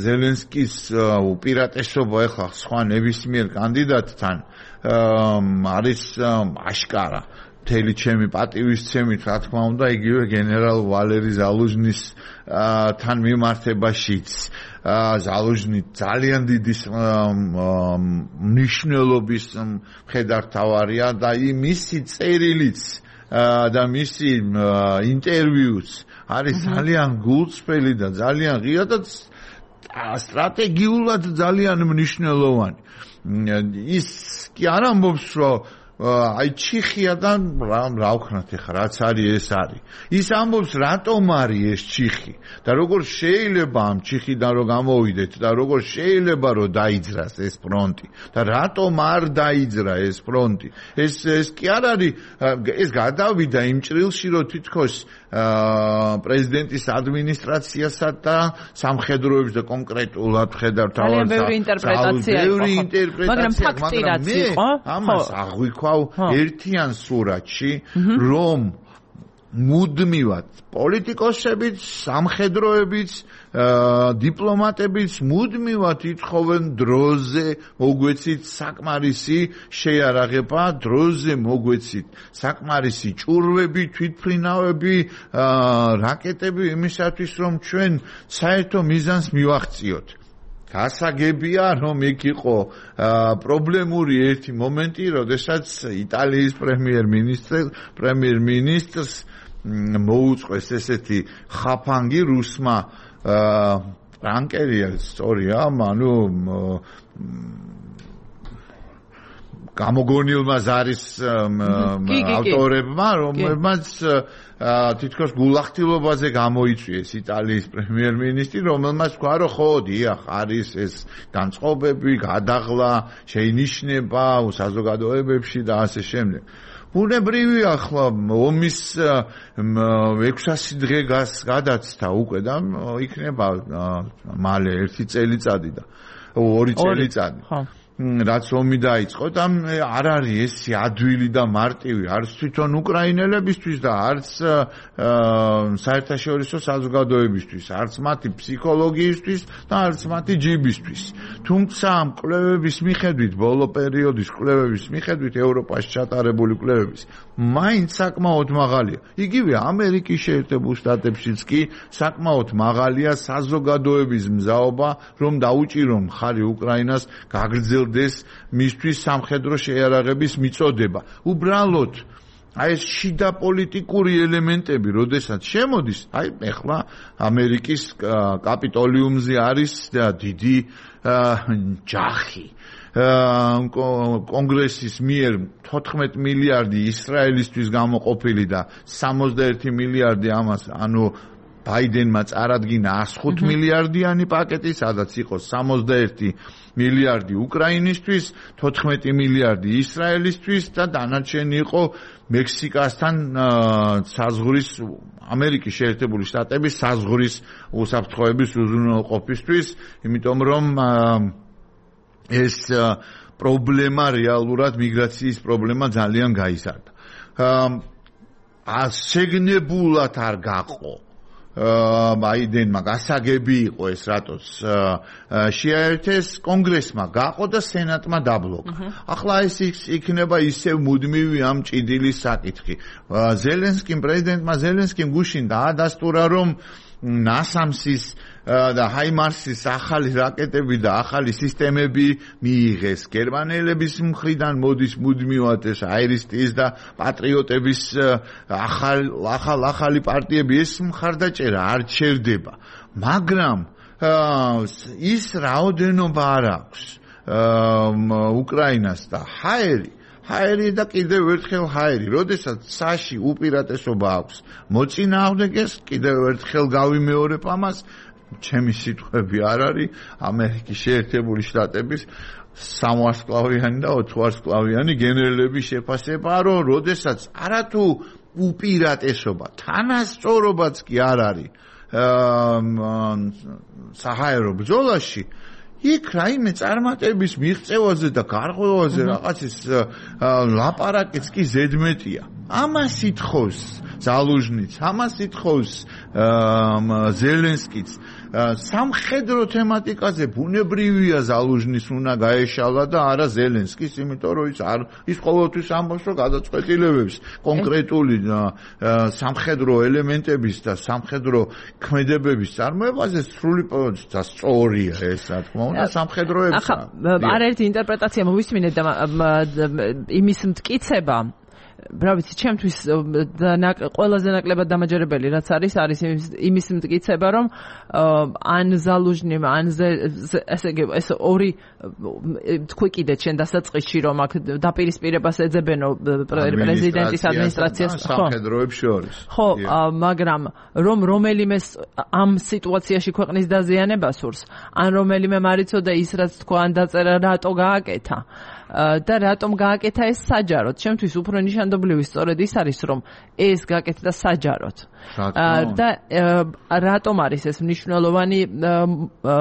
ზელენსკის უპირატესობა ახლა სხვა ნებისმიერ კანდიდატთან არის აშკარა მთელი ჩემი პატივისცემით რა თქმა უნდა იგივე გენერალ ვალერი ზალუჟნის თან მიმართებაშიც ზალუჟნი ძალიან დიდი მნიშვნელობის მხედართავარია და მისი წერილიც და მისი ინტერვიუც არის ძალიან გულწრფელი და ძალიან ღია და სტრატეგიულად ძალიან მნიშვნელოვანი ის კი არ ამბობს რომ აი ჩიხიადან რა ვქნათ ახლა რაც არის ეს არის ის ამბობს რატომ არის ეს ჩიხი და როგორ შეიძლება ამ ჩიხიდან რომ გამოვიდეთ და როგორ შეიძლება რომ დაიძრას ეს ფრონტი და რატომ არ დაიძრა ეს ფრონტი ეს ეს კი არ არის ეს გადავიდა იმ ჭრილში რომ თითქოს პრეზიდენტის ადმინისტრაციასა და სამხედროებს და კონკრეტულად ხედავთ ძალიან ბევრი ინტერპრეტაცია ბევრი ინტერპრეტაცია მაგრამ ფაქტი რაც იყო ამას აღვიქვა ერთიან სურათში რომ მუდმივად პოლიტიკოსებიც, სამხედროებიც, დიპლომატებიც მუდმივად ითხოვენ დროზე მოგვეცით საკმარისი შეიარაღება, დროზე მოგვეცით საკმარისი ჭურვები, თვითმფრინავები, რაკეტები იმისათვის რომ ჩვენ საერთო მიზანს მივაღწიოთ. გასაგებია რომ იქ იყო პრობლემური ერთი მომენტი, როდესაც იტალიის პრემიერ-მინისტრს პრემიერ-მინისტრს მოუწყვეს ესეთი ხაფანგი რუსმა პრანკერია სწორია, ანუ გამოგონილმა ზარის ავტორებმა, რომლებმაც თითქოს გულახდილობაზე გამოიწვიეს იტალიის პრემიერ-მინისტრი, რომელმაც თქვა, რომ ხო, დიახ, არის ეს განწყობები, გადაღლა, შეინიშნება საზოგადოებებში და ასე შემდეგ. ბუნებრივია ახლა ომის ექვსასი დღე გადაცდა უკვე და იქნება მალე ერთი წელიწადი და ორი წელიწადი. რაც ომი დაიწყო და არ არის ეს ადვილი და მარტივი არც თვითონ უკრაინელებისთვის და არც საერთაშორისო საზოგადოებისთვის, არც მათი ფსიქოლოგიისთვის და არც მათი ჯიბისთვის. თუმცა კვლევების მიხედვით, ბოლო პერიოდის კვლევების მიხედვით, ევროპაში ჩატარებული კვლევების, მაინც საკმაოდ მაღალია. იგივე ამერიკის შეერთებულ შტატებშიც კი საკმაოდ მაღალია საზოგადოების მზაობა, რომ დაუჭირონ მხარი უკრაინას გაგრძელ მისთვის სამხედრო შეიარაღების მიწოდება. უბრალოდ აი ეს შიდა პოლიტიკური ელემენტები, როდესაც შემოდის, აი ეხლა ამერიკის კაპიტოლიუმზე არის დიდი ჯახი. კონგრესის მიერ თოთხმეტ მილიარდი ისრაელისთვის გამოყოფილი და სამოცდაერთი მილიარდი ამას, ანუ ბაიდენმა წარადგინა ათს მილიარდიანი პაკეტი, სადაც იყო სამოცდაერთი მილიარდი უკრაინისთვის, თოთხმეტი მილიარდი ისრაელისთვის და დანარჩენი იყო მექსიკასთან საზღვრის ამერიკის შეერთებული შტატების საზღვრის უსაფრთხოების უზრუნველყოფისთვის, იმიტომ რომ ეს პრობლემა რეალურად მიგრაციის პრობლემა ძალიან გაიზარდა. ასეგნებულად არ გაყო ბაიდენმა გასაგები იყო ეს რატოს შეაერთეს კონგრესმა გაყო და სენატმა დაბლოკა. ახლა ეს იქნება ისევ მუდმივი ამ ჭიდილის საკითხი. ზელენსკიმ პრეზიდენტმა ზელენსკიმ გუშინ დაადასტურა რომ ნასამსის და ჰაიმარსის ახალი რაკეტები და ახალი სისტემები მიიღეს გერმანელების მხრიდან, მოდის მუდმივად ეს აირისტის და პატრიოტების ახალ ახალ ახალი პარტიები, ეს მხარდაჭერა არ ჩერდება, მაგრამ ის რაოდენობა არ აქვს უკრაინას და ჰაერი ჰაერი და კიდევ ერთხელ ჰაერი, როდესაც საში უპირატესობა აქვს მოწინააღმდეგეს, კიდევ ერთხელ გავიმეორებ ამას, ჩემი სიტყვები არ არის ამერიკის შეერთებული შტატების სამვარსკვლავიანი და ოთვარსკვლავიანი გენერლების შეფასება, რომ როდესაც არათუ უპირატესობა, თანასწორობაც კი არ არის საჰაერო ბრძოლაში, იქ რაიმე წარმატების მიღწევაზე და გარღვევაზე რაღაცის ლაპარაკიც კი ზედმეტია. ამას ითხოვს ზალუჟნიც, ამას ითხოვს ზელენსკიც. სამხედრო თემატიკაზე ბუნებრივია ზალუჟნის უნდა გაეშალა და არა ზელენსკის, იმიტომ რომ ის არ ის ყოველთვის ამბობს, რომ გადაწყვეტილებებს კონკრეტული სამხედრო ელემენტების და სამხედრო ქმედებების წარმოებაზე სრული და სწორია ეს, რა თქმა უნდა, სამხედროებს. ახლა არაერთი ინტერპრეტაცია მოვისმინეთ და იმის მტკიცება რა ვიცი, ჩემთვის ყველაზე ნაკლებად დამაჯერებელი რაც არის, არის იმის მტკიცება, რომ ან ზალუჟნიმ, ან ესე იგი ეს ორი თქვი კიდე ჩვენ დასაწყისში, რომ აქ დაპირისპირებას ეძებენო პრეზიდენტის ადმინისტრაციას, ხო, სამხედროებს შორის. ხო, მაგრამ რომ რომელიმე ამ სიტუაციაში ქვეყნის დაზიანება სურს, ან რომელიმე მარიცოდა ის რაც თქვა, ან დაწერა რატო გააკეთა და რატომ გააკეთა ეს საჯაროდ. ჩემთვის უფრო ნიშანდობლივი სწორედ ის არის, რომ ეს გააკეთა საჯაროდ. და რატომ არის ეს მნიშვნელოვანი,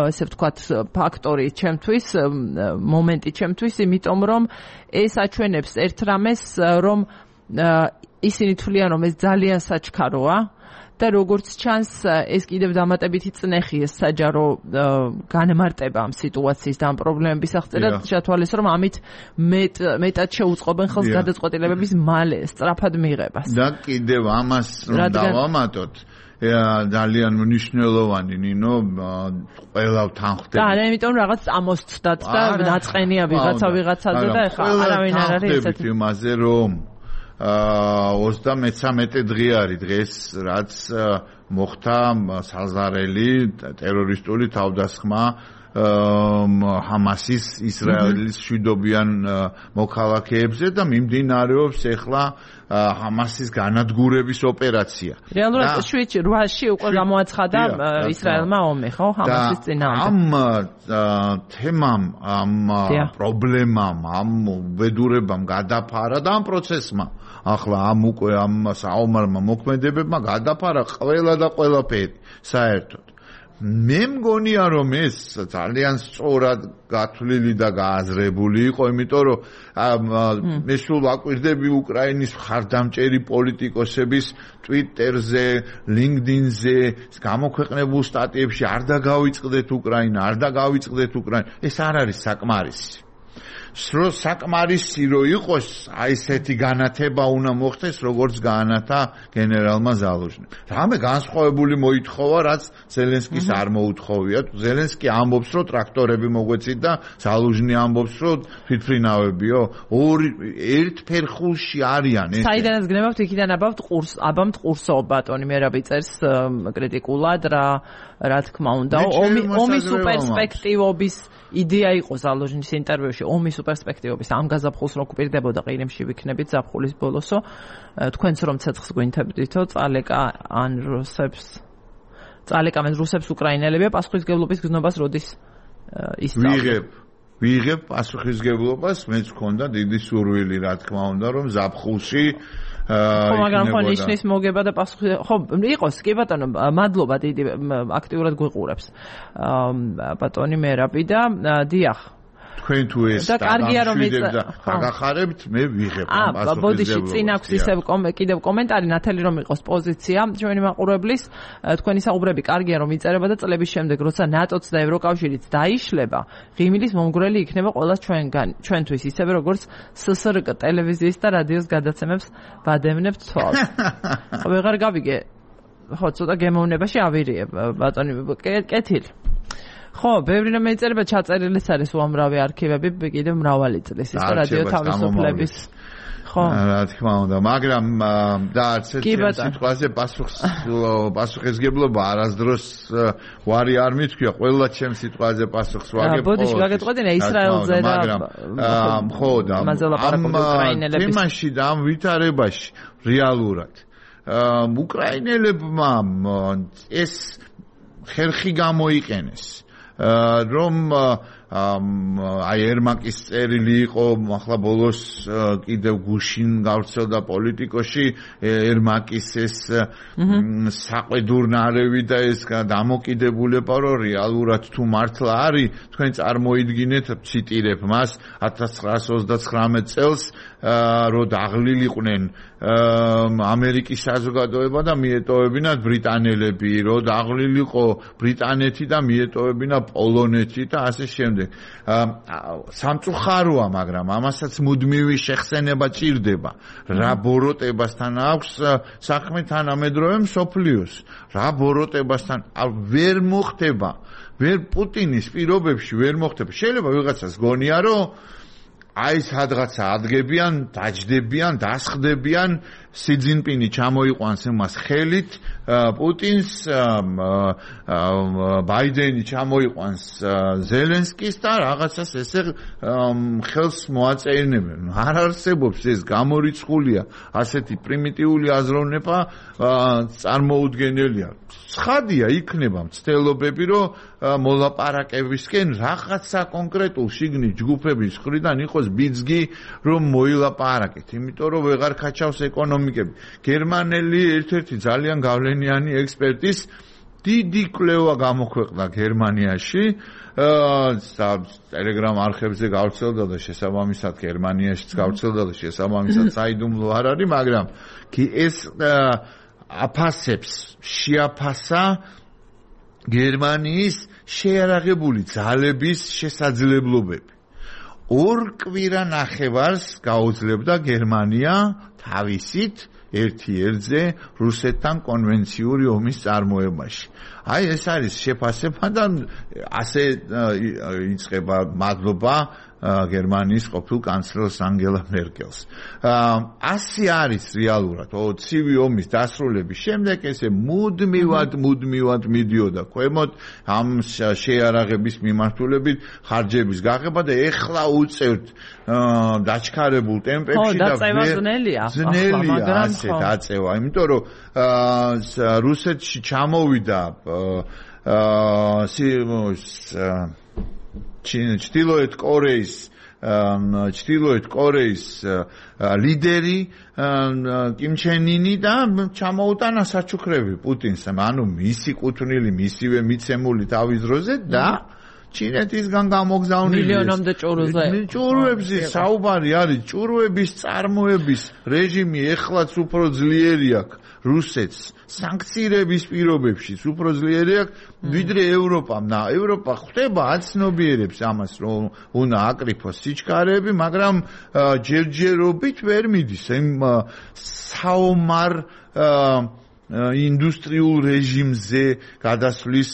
ესე ვთქვათ, ფაქტორი ჩემთვის, მომენტი ჩემთვის, იმიტომ რომ ეს აჩვენებს ერთ რამეს, რომ ისინი თვლიან, რომ ეს ძალიან საჩქაროა. და როგორც ჩანს, ეს კიდევ დამატებითი წნეხი ეს საჯარო განმარტება ამ სიტუაციის და ამ პრობლემების აღწერა ჩათვალეს, რომ ამით მეტად შეუწყობენ ხელს გადაწყვეტილებების მალე სწრაფად მიღებას. და კიდევ ამას რომ დავამატოთ, ძალიან მნიშვნელოვანი ნინო ყველა თანხმდება. და ამიტომ რაღაც ამოსცდათ და დაწყენია ვიღაცა ვიღაცაზე და ეხლა არავინ არ არის ესეთი იმაზე რომ ოცდამეცამეტე დღე არის დღეს, რაც მოხდა საზარელი ტერორისტული თავდასხმა ჰამასის ისრაელის მშვიდობიან მოქალაქეებზე და მიმდინარეობს ახლა ჰამასის განადგურების ოპერაცია. რეალურად შვიდ რვაში უკვე გამოაცხადა ისრაელმა ომი, ხო, ჰამასის წინააღმდეგ. ამ თემამ, ამ პრობლემამ, ამ უბედურებამ გადაფარა და ამ პროცესმა ახლა ამ უკვე ამ საომარმა მოქმედებებმა გადაფარა ყველა და ყველაფერი საერთოდ. მე მგონია რომ ეს ძალიან სწორად გათვლილი და გააზრებული იყო, იმიტომ რომ მე სულ ვაკვირდები უკრაინის მხარდამჭერი პოლიტიკოსების ტვიტერზე, ლინკდინზე გამოქვეყნებულ სტატიებში არ დაგავიწყდეთ უკრაინა, არ დაგავიწყდეთ უკრაინა. ეს არ არის საკმარისი. სრო საკმარისი რო იყოს, აი ესეთი განათება უნდა მოხდეს, როგორც გაანათა გენერალმა ზალუჟნიმ. რამე განსხვავებული მოითხოვა, რაც ზელენსკის არ მოუთხოვია. ზელენსკი ამბობს, რომ ტრაქტორები მოგვეცით და ზალუჟნი ამბობს, რომ თვითმფრინავებიო. ორი ერთ ფერხულში არიან ეს. საიდანაც გნებავთ, იქიდან აბავთ ყურს, აბამთ ყურსო ბატონი მერაბი წერს კრიტიკულად რა რა თქმა უნდა. ომი ომის პერსპექტივობის იდეა იყო ზალუჟნის ინტერვიუში, ომის პერსპექტივობის ამ გაზაფხულს რო გვპირდებოდა ყირიმში ვიქნებით ზაფხულის ბოლოსო, თქვენც რომ ცეცხლს გვინთებდითო, წალეკა ან რუსებს წალეკამენ რუსებს უკრაინელებია პასუხისგებლობის გზნობას როდის ისწავლე. ვიღებ ვიღებ პასუხისგებლობას, მეც მქონდა დიდი სურვილი, რა თქმა უნდა, რომ ზაფხულში ხო, მაგრამ ხო ნიშნის მოგება და პასუხი ხო იყოს, კი ბატონო, მადლობა დიდი აქტიურად გვიყურებს. ბატონი მერაბი და დიახ. თქვენ თუ ეს და კარგია რომ დაგახარებთ, მე ვიღებ ამ პასუხისგებლობას. აა, ბოდიში წინ აქვს ისევ კიდევ კომენტარი ნათელი რომ იყოს პოზიცია ჩვენი მაყურებლის, თქვენი საუბრები კარგია რომ იწერება და წლების შემდეგ როცა ნატოც და ევროკავშირიც დაიშლება, ღიმილის მომგვრელი იქნება ყველა ჩვენგან, ჩვენთვის ისევე როგორც სსრკ ტელევიზიის და რადიოს გადაცემებს ვადევნებთ თვალს. ხო, ვეღარ გავიგე. ხო, ცოტა გემოვნებაში ავირიე ბატონი, კეთილი. ხო, ბევრი რამე იწერება, ჩაწერილიც არის უამრავი არქივები, კიდევ მრავალი წლის ის რადიო თავისუფლების. ხო. რა თქმა უნდა, მაგრამ და არც ერთ სიტყვაზე პასუხს პასუხისგებლობა არასდროს ვარი არ მithქვია, ყველა ჩემ სიტყვაზე პასუხს ვაგებ. ბოდიში ვაგეთყვეტინა ისრაელზე და მაგრამ ხო და ამ თემაში და ამ ვითარებაში რეალურად უკრაინელებმა ეს ხერხი გამოიყენეს. რომ აი ერმაკის წერილი იყო, ახლა ბოლოს კიდევ გუშინ გავრცელდა პოლიტიკოში ერმაკის ეს საყვედურნარევი და ეს დამოკიდებულება, რომ რეალურად თუ მართლა არის, თქვენ წარმოიდგინეთ, ციტირებ მას, ათას ცხრაასი ოცდათხრამეტ წელს რო დაღლილიყვნენ ამერიკის საზოგადოება და მიეტოვებინათ ბრიტანელები, რო დაღლილიყო ბრიტანეთი და მიეტოვებინა პოლონეთი და ასე შემდეგ. სამწუხაროა, მაგრამ ამასაც მუდმივი შეხსენება ჭირდება. რა ბოროტებასთან აქვს საქმე თანამედროვე მსოფლიოს. რა ბოროტებასთან ვერ მოხდება, ვერ პუტინის პირობებში ვერ მოხდება. შეიძლება ვიღაცას გონია, რომ აი სადღაცა ადგებიან, დაჯდებიან, დასხდებიან, სი ძინპინი ჩამოიყვანს იმას ხელით, პუტინს, ბაიდენი ჩამოიყვანს ზელენსკის და რაღაცას ესე ხელს მოაწეინებენ. არ არსებობს ეს, გამორიცხულია, ასეთი პრიმიტიული აზროვნება წარმოუდგენელია. ცხადია იქნება მცდელობები, რომ მოლაპარაკებისკენ რაღაცა კონკრეტულ შიგნით ჯგუფების მხრიდან იყოს ბიძგი, რომ მოილაპარაკეთ, იმიტომ რომ ვეღარ ქაჩავს ეკონომიკები. გერმანელი ერთ-ერთი ძალიან გავლენიანი ექსპერტის დიდი კვლევა გამოქვეყნდა გერმანიაში, ტელეგრამ არხებზე გავრცელდა და შესაბამისად გერმანიაშიც გავრცელდა და შესაბამისად საიდუმლო არ არის, მაგრამ ეს აფასებს, შეაფასა გერმანიის შეიარაღებული ძალების შესაძლებლობები. ორ კვირა ნახევარს გაუძლებდა გერმანია თავისით ერთ-ერთზე რუსეთთან კონვენციური ომის წარმოებაში. აი ეს არის შეფასება და ასე იწყება მადლობა გერმანიის ყოფილ კანცლერს ანგელა მერკელს. ასი არის რეალურად ცივი ომის დასრულების შემდეგ ესე მუდმივად მუდმივად მიდიოდა ქვემოთ ამ შეარაღების მიმართულებით ხარჯების გაღება და ეხლა უწევთ დაჩქარებულ ტემპებში და ძნელია ძნელია ასე დაწევა, იმიტომ რომ რუსეთში ჩამოვიდა ჩრდილოეთ კორეის ჩრდილოეთ კორეის ლიდერი კიმ ჩენ ინი და ჩამოუტანა საჩუქრები პუტინს, ანუ მისი კუთვნილი, მისივე მიცემული თავის დროზე და ჩინეთისგან გამოგზავნილი მილიონამდე ჭურვზე. ჭურვებზე საუბარი არის, ჭურვების წარმოების რეჟიმი ეხლაც უფრო ძლიერი აქვს რუსეთს. სანქციების პირობებშიც უფრო ძლიერი აქვს ვიდრე ევროპამ. და ევროპა ხვდება აცნობიერებს ამას, რომ უნდა აკრიფოს სიჩქარეები, მაგრამ ჯერჯერობით ვერ მიდის იმ საომარ ინდუსტრიულ რეჟიმზე გადასვლის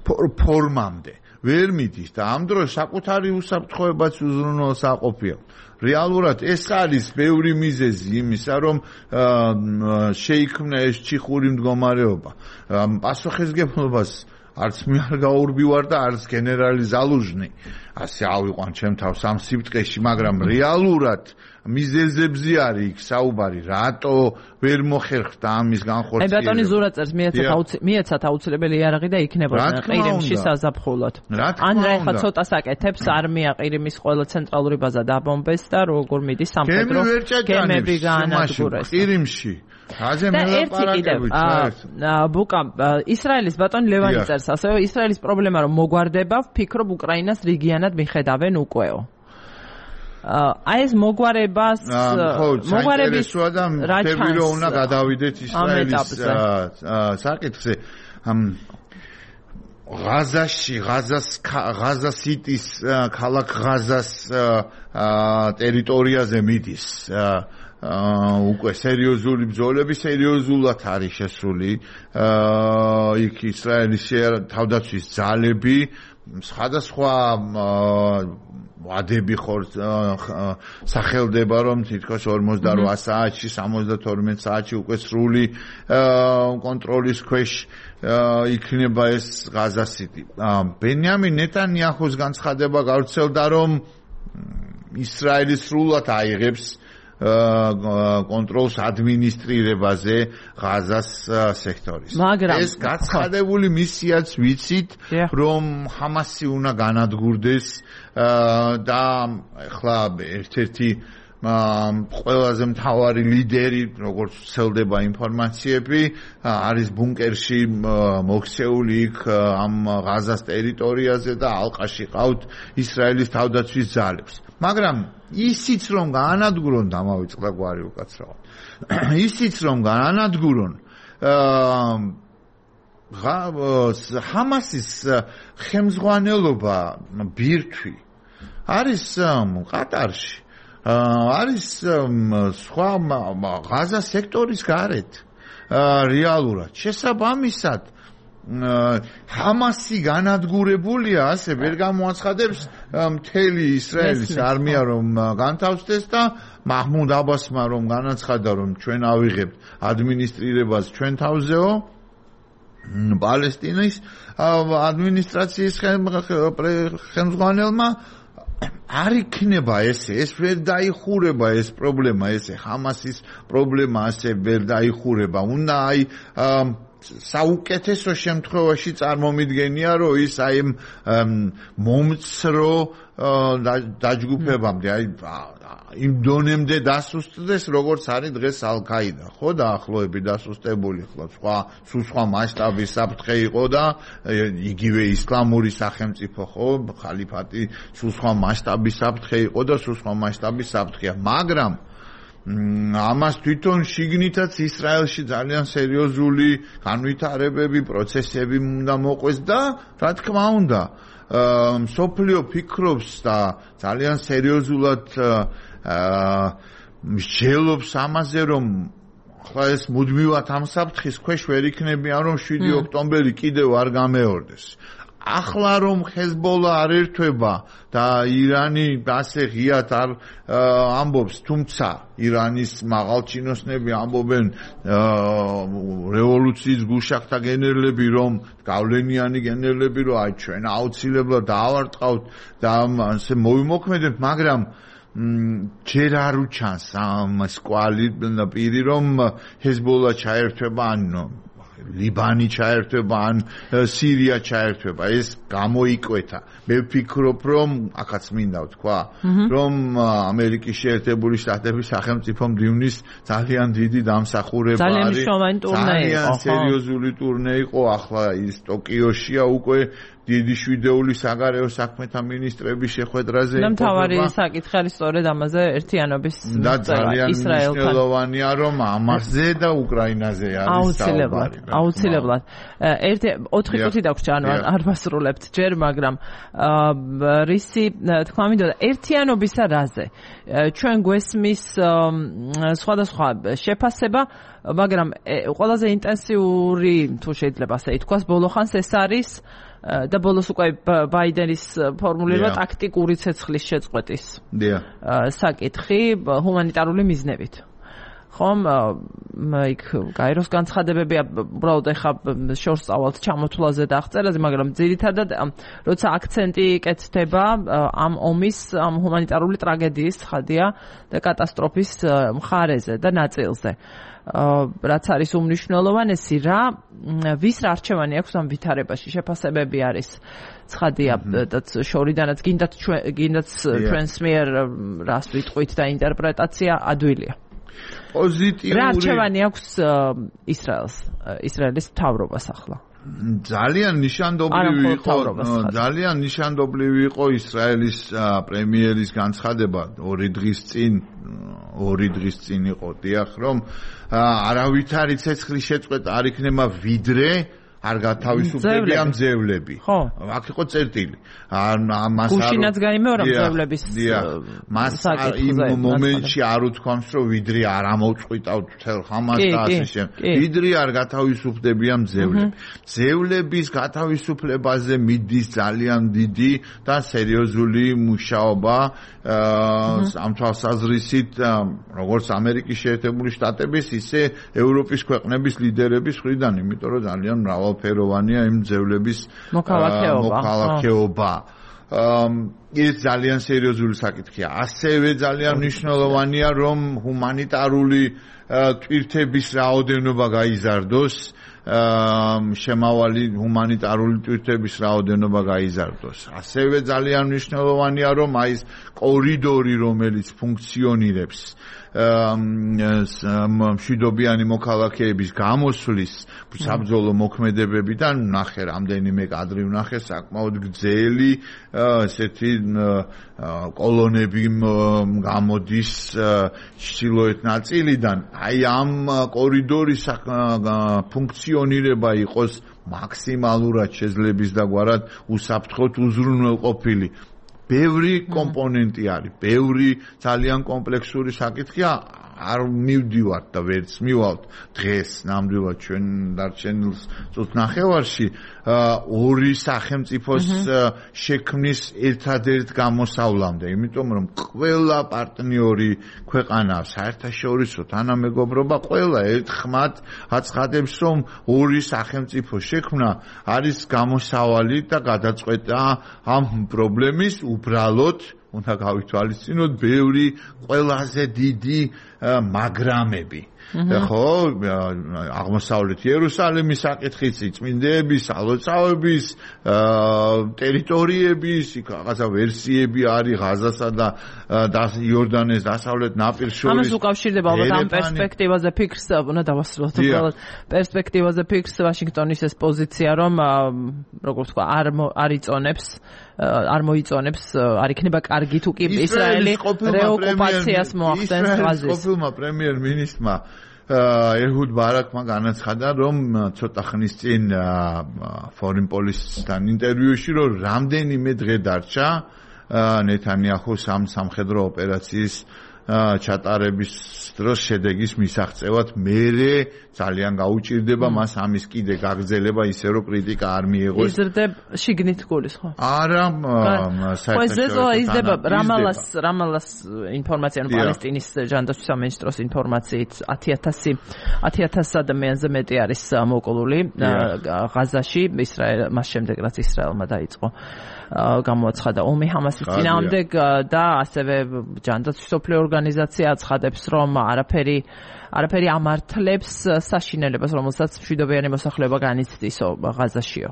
ფორმამდე ვერ მიდის და ამ დროს საკუთარი უსაფრთხოებაც უზრუნველსაყოფია. რეალურად ეს არის ბევრი მიზეზი იმისა, რომ შეიქმნა ეს ჩიხური მდგომარეობა. პასუხისგებლობას არც მე არ გაურბივარ და არც გენერალი ზალუჟნი ასე ავიყვან ჩემ თავს ამ სიბტყეში, მაგრამ რეალურად მიზეზებზე არის იქ საუბარი, რატო ვერ მოხერხდა ამის განხორციელება. აი ბატონი ზურაწერს მიეცათ აუცილებელი იარაღი და იქნებოდა ყირიმში საზაფხულოდ. ან რა ეხლა ცოტა საკეთებს არმია ყირიმის ყველა ცენტრალური ბაზა დაბომბეს და როგორ მიდის სამხედრო გემები გაანადგურეს ყირიმში. აზე მელაპარაკებით ბუკა ისრაელის ბატონი ლევანი წერს ასევე ისრაელის პრობლემა რომ მოგვარდება, ვფიქრობ უკრაინას რიგიანად მიხედავენ უკვე. აი ეს მოგვარებას მოგვარების რაჩანს რო უნდა გადავიდეთ ისრაელის საკითხზე ღაზაში ღაზას ღაზასიტის ქალაქ ღაზას ტერიტორიაზე მიდის უკვე სერიოზული ბრძოლები, სერიოზულად არის შესული იქ ისრაელის თავდაცვის ძალები სხვადასხვა ვადები ხორ სახელდება რომ თითქოს ორმოცდაოთხ საათში სამოცდათორმეტ საათში უკვე სრული კონტროლის ქვეშ იქნება ეს ღაზასიტი. ბენიამინ ნეტანიაჰუს განცხადება გავრცელდა რომ ისრაელი სრულად აიღებს კონტროლს ადმინისტრირებაზე ღაზას სექტორის. ეს გაცხადებული მისიაც ვიცით, რომ ჰამასი უნდა განადგურდეს და ახლა ერთ-ერთი ყველაზე მთავარი ლიდერი, როგორც ვრცელდება ინფორმაციები, არის ბუნკერში მოქცეული იქ ამ ღაზას ტერიტორიაზე და ალყაში ყავთ ისრაელის თავდაცვის ძალებს. მაგრამ ისიც რომ გაანადგურონ დამავიწყდა გვარი უკაცრავად. ისიც რომ გაანადგურონ ჰამასის ხელმძღვანელობა ბირთვი არის ყატარში. არის სხვა ღაზა სექტორის გარეთ რეალურად შესაბამისად ჰამასი განადგურებულია, ასე ვერ გამოაცხადებს მთელი ისრაელის არმია რომ განთავსდეს და მაჰმუდ აბასმა რომ განაცხადა რომ ჩვენ ავიღებთ ადმინისტრირებას ჩვენ თავზეო პალესტინის ადმინისტრაციის ხელმძღვანელმა არ იქნება ესე, ეს ვერ დაიხურება ეს პრობლემა, ესე ჰამასის პრობლემა ასე ვერ დაიხურება. უნდა აი საუკეთესო შემთხვევაში წარმომიდგენია, რომ ის აი მომცრო დაჯგუფებამდე, აი იმ დონემდე დასუსტდეს, როგორც არის დღეს ალ-ქაიდა, ხო, დაახლოებით დასუსტებული, ხო, სხვა სულ სხვა მასშტაბის საფრთხე იყო და იგივე ისლამური სახელმწიფო, ხო, ხალიფატი სულ სხვა მასშტაბის საფრთხე იყო და სულ სხვა მასშტაბის საფრთხეა, მაგრამ ამას თვითონ შიგნითაც ისრაელში ძალიან სერიოზული განვითარებები, პროცესები უნდა მოყვეს და რა თქმა უნდა, მსოფლიო ფიქრობს და ძალიან სერიოზულად მსჯელობს ამაზე, რომ ხლა ეს მუდმივად ამ საფრთხის ქვეშ ვერ იქნებიან, რომ შვიდი ოქტომბერი კიდევ არ გამეორდეს. ახლა რომ ჰეზბოლა არ ერთვება და ირანი ასე ღიად არ ამბობს, თუმცა ირანის მაღალჩინოსნები ამბობენ რევოლუციის გუშახთა გენერლები, რომ გავლენიანი გენერლები, რომ აი ჩვენ აუცილებლად დავარტყავთ და ასე მოვიმოქმედებთ, მაგრამ ჯერ არ უჩანს ამ სკვალი პირი, რომ ჰეზბოლა ჩაერთვება ან ლიბანი ჩაერთვება ან სირია ჩაერთვება, ეს გამოიკვეთა. მე ვფიქრობ, რომ აქაც მინდა ვთქვა, რომ ამერიკის შეერთებული შტატების სახელმწიფო მდივნის ძალიან დიდი დამსახურება არის. ძალიან სერიოზული ტურნე იყო, ახლა ის ტოკიოშია უკვე დიდი შვიდეული საგარეო საქმეთა მინისტრების შეხვედრაზე და მთავარი საკითხი არის სწორედ ამაზე ერთიანობის და ძალიან მნიშვნელოვანია, რომ ამაზე და უკრაინაზე არის საუბარი. აუცილებლად. ერთი ოთხი წუთი დაგვჭირდა, ანუ არ ვასრულებთ ჯერ, მაგრამ რისი თქვა მინდოდა ერთიანობისა რაზე. ჩვენ გვესმის სხვადასხვა შეფასება, მაგრამ ყველაზე ინტენსიური, თუ შეიძლება ასე ითქვას, ბოლოხანს ეს არის და ბოლოს უკვე ბაიდენის ფორმულირება ტაქტიკური ცეცხლის შეწყვეტის საკითხი ჰუმანიტარული მიზნებით. ხომ იქ გაეროს განცხადებები უბრალოდ ეხა შორს წავალთ ჩამოთვლაზე და აღწერაზე, მაგრამ ძირითადად როცა აქცენტი იკეთდება ამ ომის, ამ ჰუმანიტარული ტრაგედიის ხადია და კატასტროფის მხარეზე და ნაწილზე. რაც არის უმნიშვნელოვანესი, რა ვის რა არჩევანი აქვს ამ ვითარებაში, შეფასებები არის ცხადია და შორიდანაც გინდათ გინდათ ჩვენს მიერ რას ვიტყვით და ინტერპრეტაცია ადვილია. პოზიტიური რა არჩევანი აქვს ისრაელს, ისრაელის მთავრობას ახლა? ძალიან ნიშანდობლივი იყო, ძალიან ნიშანდობლივი იყო ისრაელის პრემიერის განცხადება ორი დღის წინ, ორი დღის წინ იყო, დიახ, რომ არავითარი ცეცხლის შეწყვეტა არ იქნება ვიდრე არ გათავისუფლებია მძევლები. ხო. აქ იყო წერტილი. ამას არ გუშინაც გაიმეორა მძევლების მას იმ მომენტში არ უთქვამს, რომ ვიდრე არ ამოწყვიტავთ მთელ ხამას და ასე შემდეგ. ვიდრე არ გათავისუფლებია მძევლები. მძევლების გათავისუფლებაზე მიდის ძალიან დიდი და სერიოზული მუშაობა ამ თვალსაზრისით, როგორც ამერიკის შეერთებული შტატების, ისე ევროპის ქვეყნების ლიდერების მხრიდან, იმიტომ რომ ძალიან მრავალფეროვანია იმ მძევლების მოქალაქეობა. ეს ძალიან სერიოზული საკითხია. ასევე ძალიან მნიშვნელოვანია, რომ ჰუმანიტარული ტვირთების რაოდენობა გაიზარდოს, შემავალი ჰუმანიტარული ტვირთების რაოდენობა გაიზარდოს. ასევე ძალიან მნიშვნელოვანია, რომ აი ეს კორიდორი, რომელიც ფუნქციონირებს მშვიდობიანი მოქალაქეების გამოსვლის საბრძოლო მოქმედებებიდან, ნახე რამდენიმე კადრი ვნახე, საკმაოდ გრძელი ესეთი კოლონები გამოდის ჩრდილოეთ ნაწილიდან. აი ამ კორიდორის ფუნქციონირება იყოს მაქსიმალურად შეძლების დაგვარად უსაფრთხოდ უზრუნველყოფილი. ბევრი კომპონენტი არის, ბევრი ძალიან კომპლექსური საკითხია, არ მივდივართ და ვერც მივალთ დღეს ნამდვილად ჩვენ დარჩენილ წუთ ნახევარში ორი სახელმწიფოს შექმნის ერთადერთ გამოსავლამდე, იმიტომ რომ ყველა პარტნიორი ქვეყანა საერთაშორისო თანამეგობრობა ყველა ერთხმად აცხადებს, რომ ორი სახელმწიფო შექმნა არის გამოსავალი და გადაწყვეტა ამ პრობლემის. უბრალოდ უნდა გავითვალისწინოთ ბევრი ყველაზე დიდი მაგრამები. ხო, აღმოსავლეთ იერუსალიმის საკითხიც, წმინდეების, ალოცავების, ტერიტორიების, რაღაცა ვერსიები არის ღაზასა და იორდანეს დასავლეთ ნაპირს შორის. ამას უკავშირდება ალბათ ამ პერსპექტივაზე ფიქრს, უნდა დავასრულოთ უბრალოდ პერსპექტივაზე ფიქრს ვაშინგტონის ეს პოზიცია, რომ როგორც თქვა, არ არ იწონებს არ მოიწონებს, არ იქნება კარგი თუ კი ისრაელი რეოკუპაციას მოახდენს ღაზის. ყოფილმა პრემიერ-მინისტრმა ეჰუდ ბარაკმა განაცხადა, რომ ცოტა ხნის წინ Foreign Policy-თან ინტერვიუში, რომ რამდენიმე დღე დარჩა ნეთანიაჰუს ამ სამხედრო ოპერაციის ჩატარების დროს შედეგის მისაღწევად მერე ძალიან გაუჭირდება მას ამის კიდე გაგრძელება ისე რომ კრიტიკა არ მიეღოს. იზრდება შიგნით გულის ხო? არა, საერთოდ იზრდება რამალას რამალას ინფორმაცია ანუ პალესტინის ჯანდაცვის სამინისტროს ინფორმაციით ათი ათასი ათი ათასი ადამიანზე მეტი არის მოკლული ღაზაში ისრაელ მას შემდეგ რაც ისრაელმა დაიწყო გამოაცხადა ომი ჰამასის წინააღმდეგ და ასევე ჯანდაცვის სოფლიო ორგანიზაცია აცხადებს რომ არაფერი არაფერი ამართლებს საშინელებას რომელსაც მშვიდობიანი მოსახლეობა განიცდისო ღაზაშიო.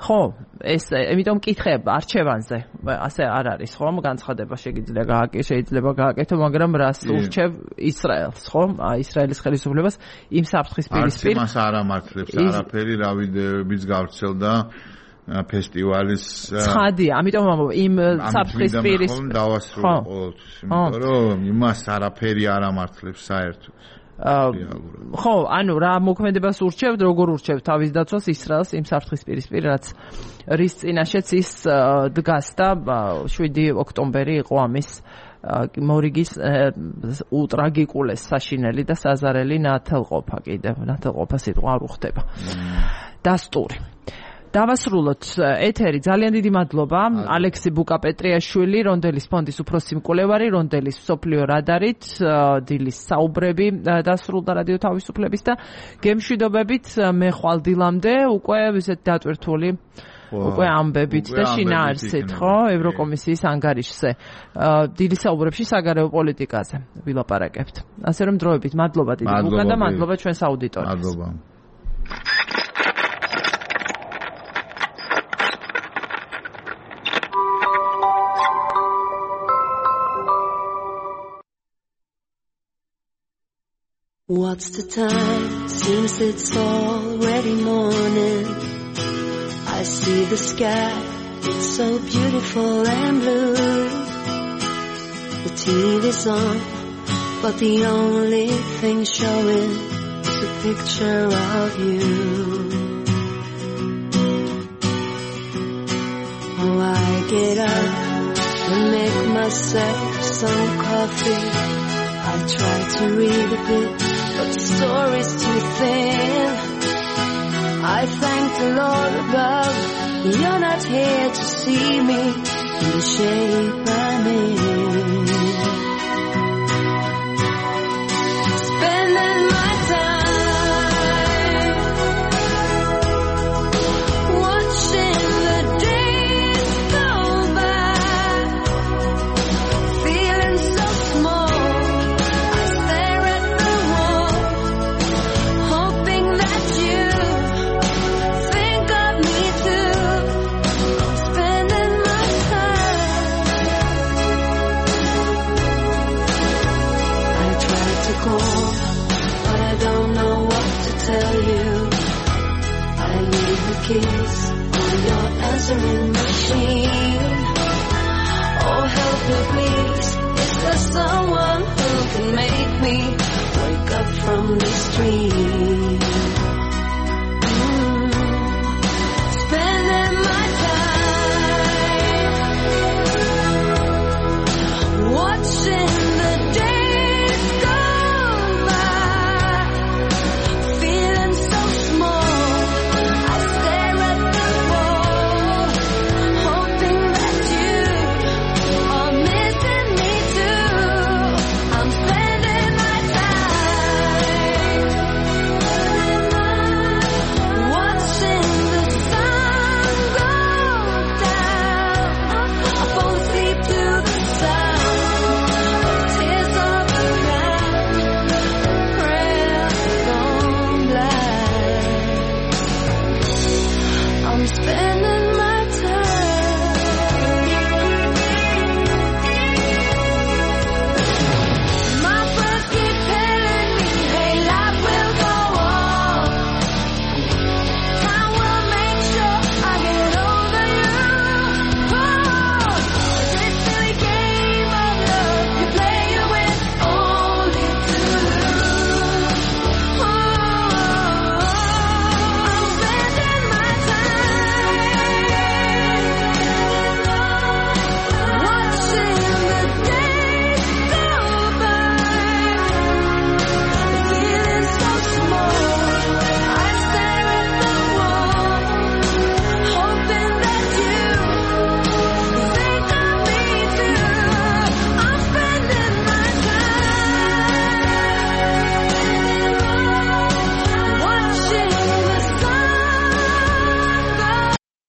ხო, ეს იმიტომ მკითხებ არჩევანზე ასე არ არის ხო? განცხადება შეიძლება გააკეთო, შეიძლება გააკეთო, მაგრამ რას ურჩევ ისრაელს, ხო? ისრაელის ხელისუფლებას იმ საფრთხის პირისპირ. არც იმას არ ამართლებს არაფერი, რა ვიდეოებიც გავრცელდა ფესტივალის ცხადია, ამიტომ იმ საფრთხის პირისპირ დავასრულე ყოველთვის, იმიტომ რომ იმას არაფერი არ ამართლებს საერთოდ. ხო, ანუ რა მოქმედებას ურჩევთ, როგორ ურჩევთ თავის დაცვას ისრაელს იმ საფრთხის პირისპირ, რაც რის წინაშეც ის დგას და შვიდი ოქტომბერი იყო ამის მორიგის უტრაგიკულეს საშინელი და საზარელი ნათელყოფა კიდევ, ნათელყოფა სიტყვა არ უხდება. დასტური. დავასრულოთ ეთერი. ძალიან დიდი მადლობა ალექსი ბუკაპეტრიაშვილი, რონდელის ფონდის უფროსი მკვლევარი, რონდელის მსოფლიო რადარით, დილის საუბრები დასრულდა რადიო თავისუფლების და გემშვიდობებით მე ხვალ დილამდე უკვე ისეთ დატვირთული უკვე ამბებით და შინაარსით, ხო, ევროკომისიის ანგარიშზე. დილის საუბრებში საგარეო პოლიტიკაზე ვილაპარაკებთ. ასე რომ დროებით მადლობა დიდი ბუკა და მადლობა ჩვენს აუდიტორიას. მადლობა. What's the time? Seems it's already morning. I see the sky, it's so beautiful and blue. The T V's on, but the only thing showing is a picture of you. Oh, I get up and make myself some coffee. I try to read a bit, but the story's too thin. I thank the Lord above, you're not here to see me in the shape I'm in. Spending my time watching the days go by, feeling so small. But I don't know what to tell you. I need the keys on your answering machine. Oh, help me please. Is there someone who can make me wake up from this dream?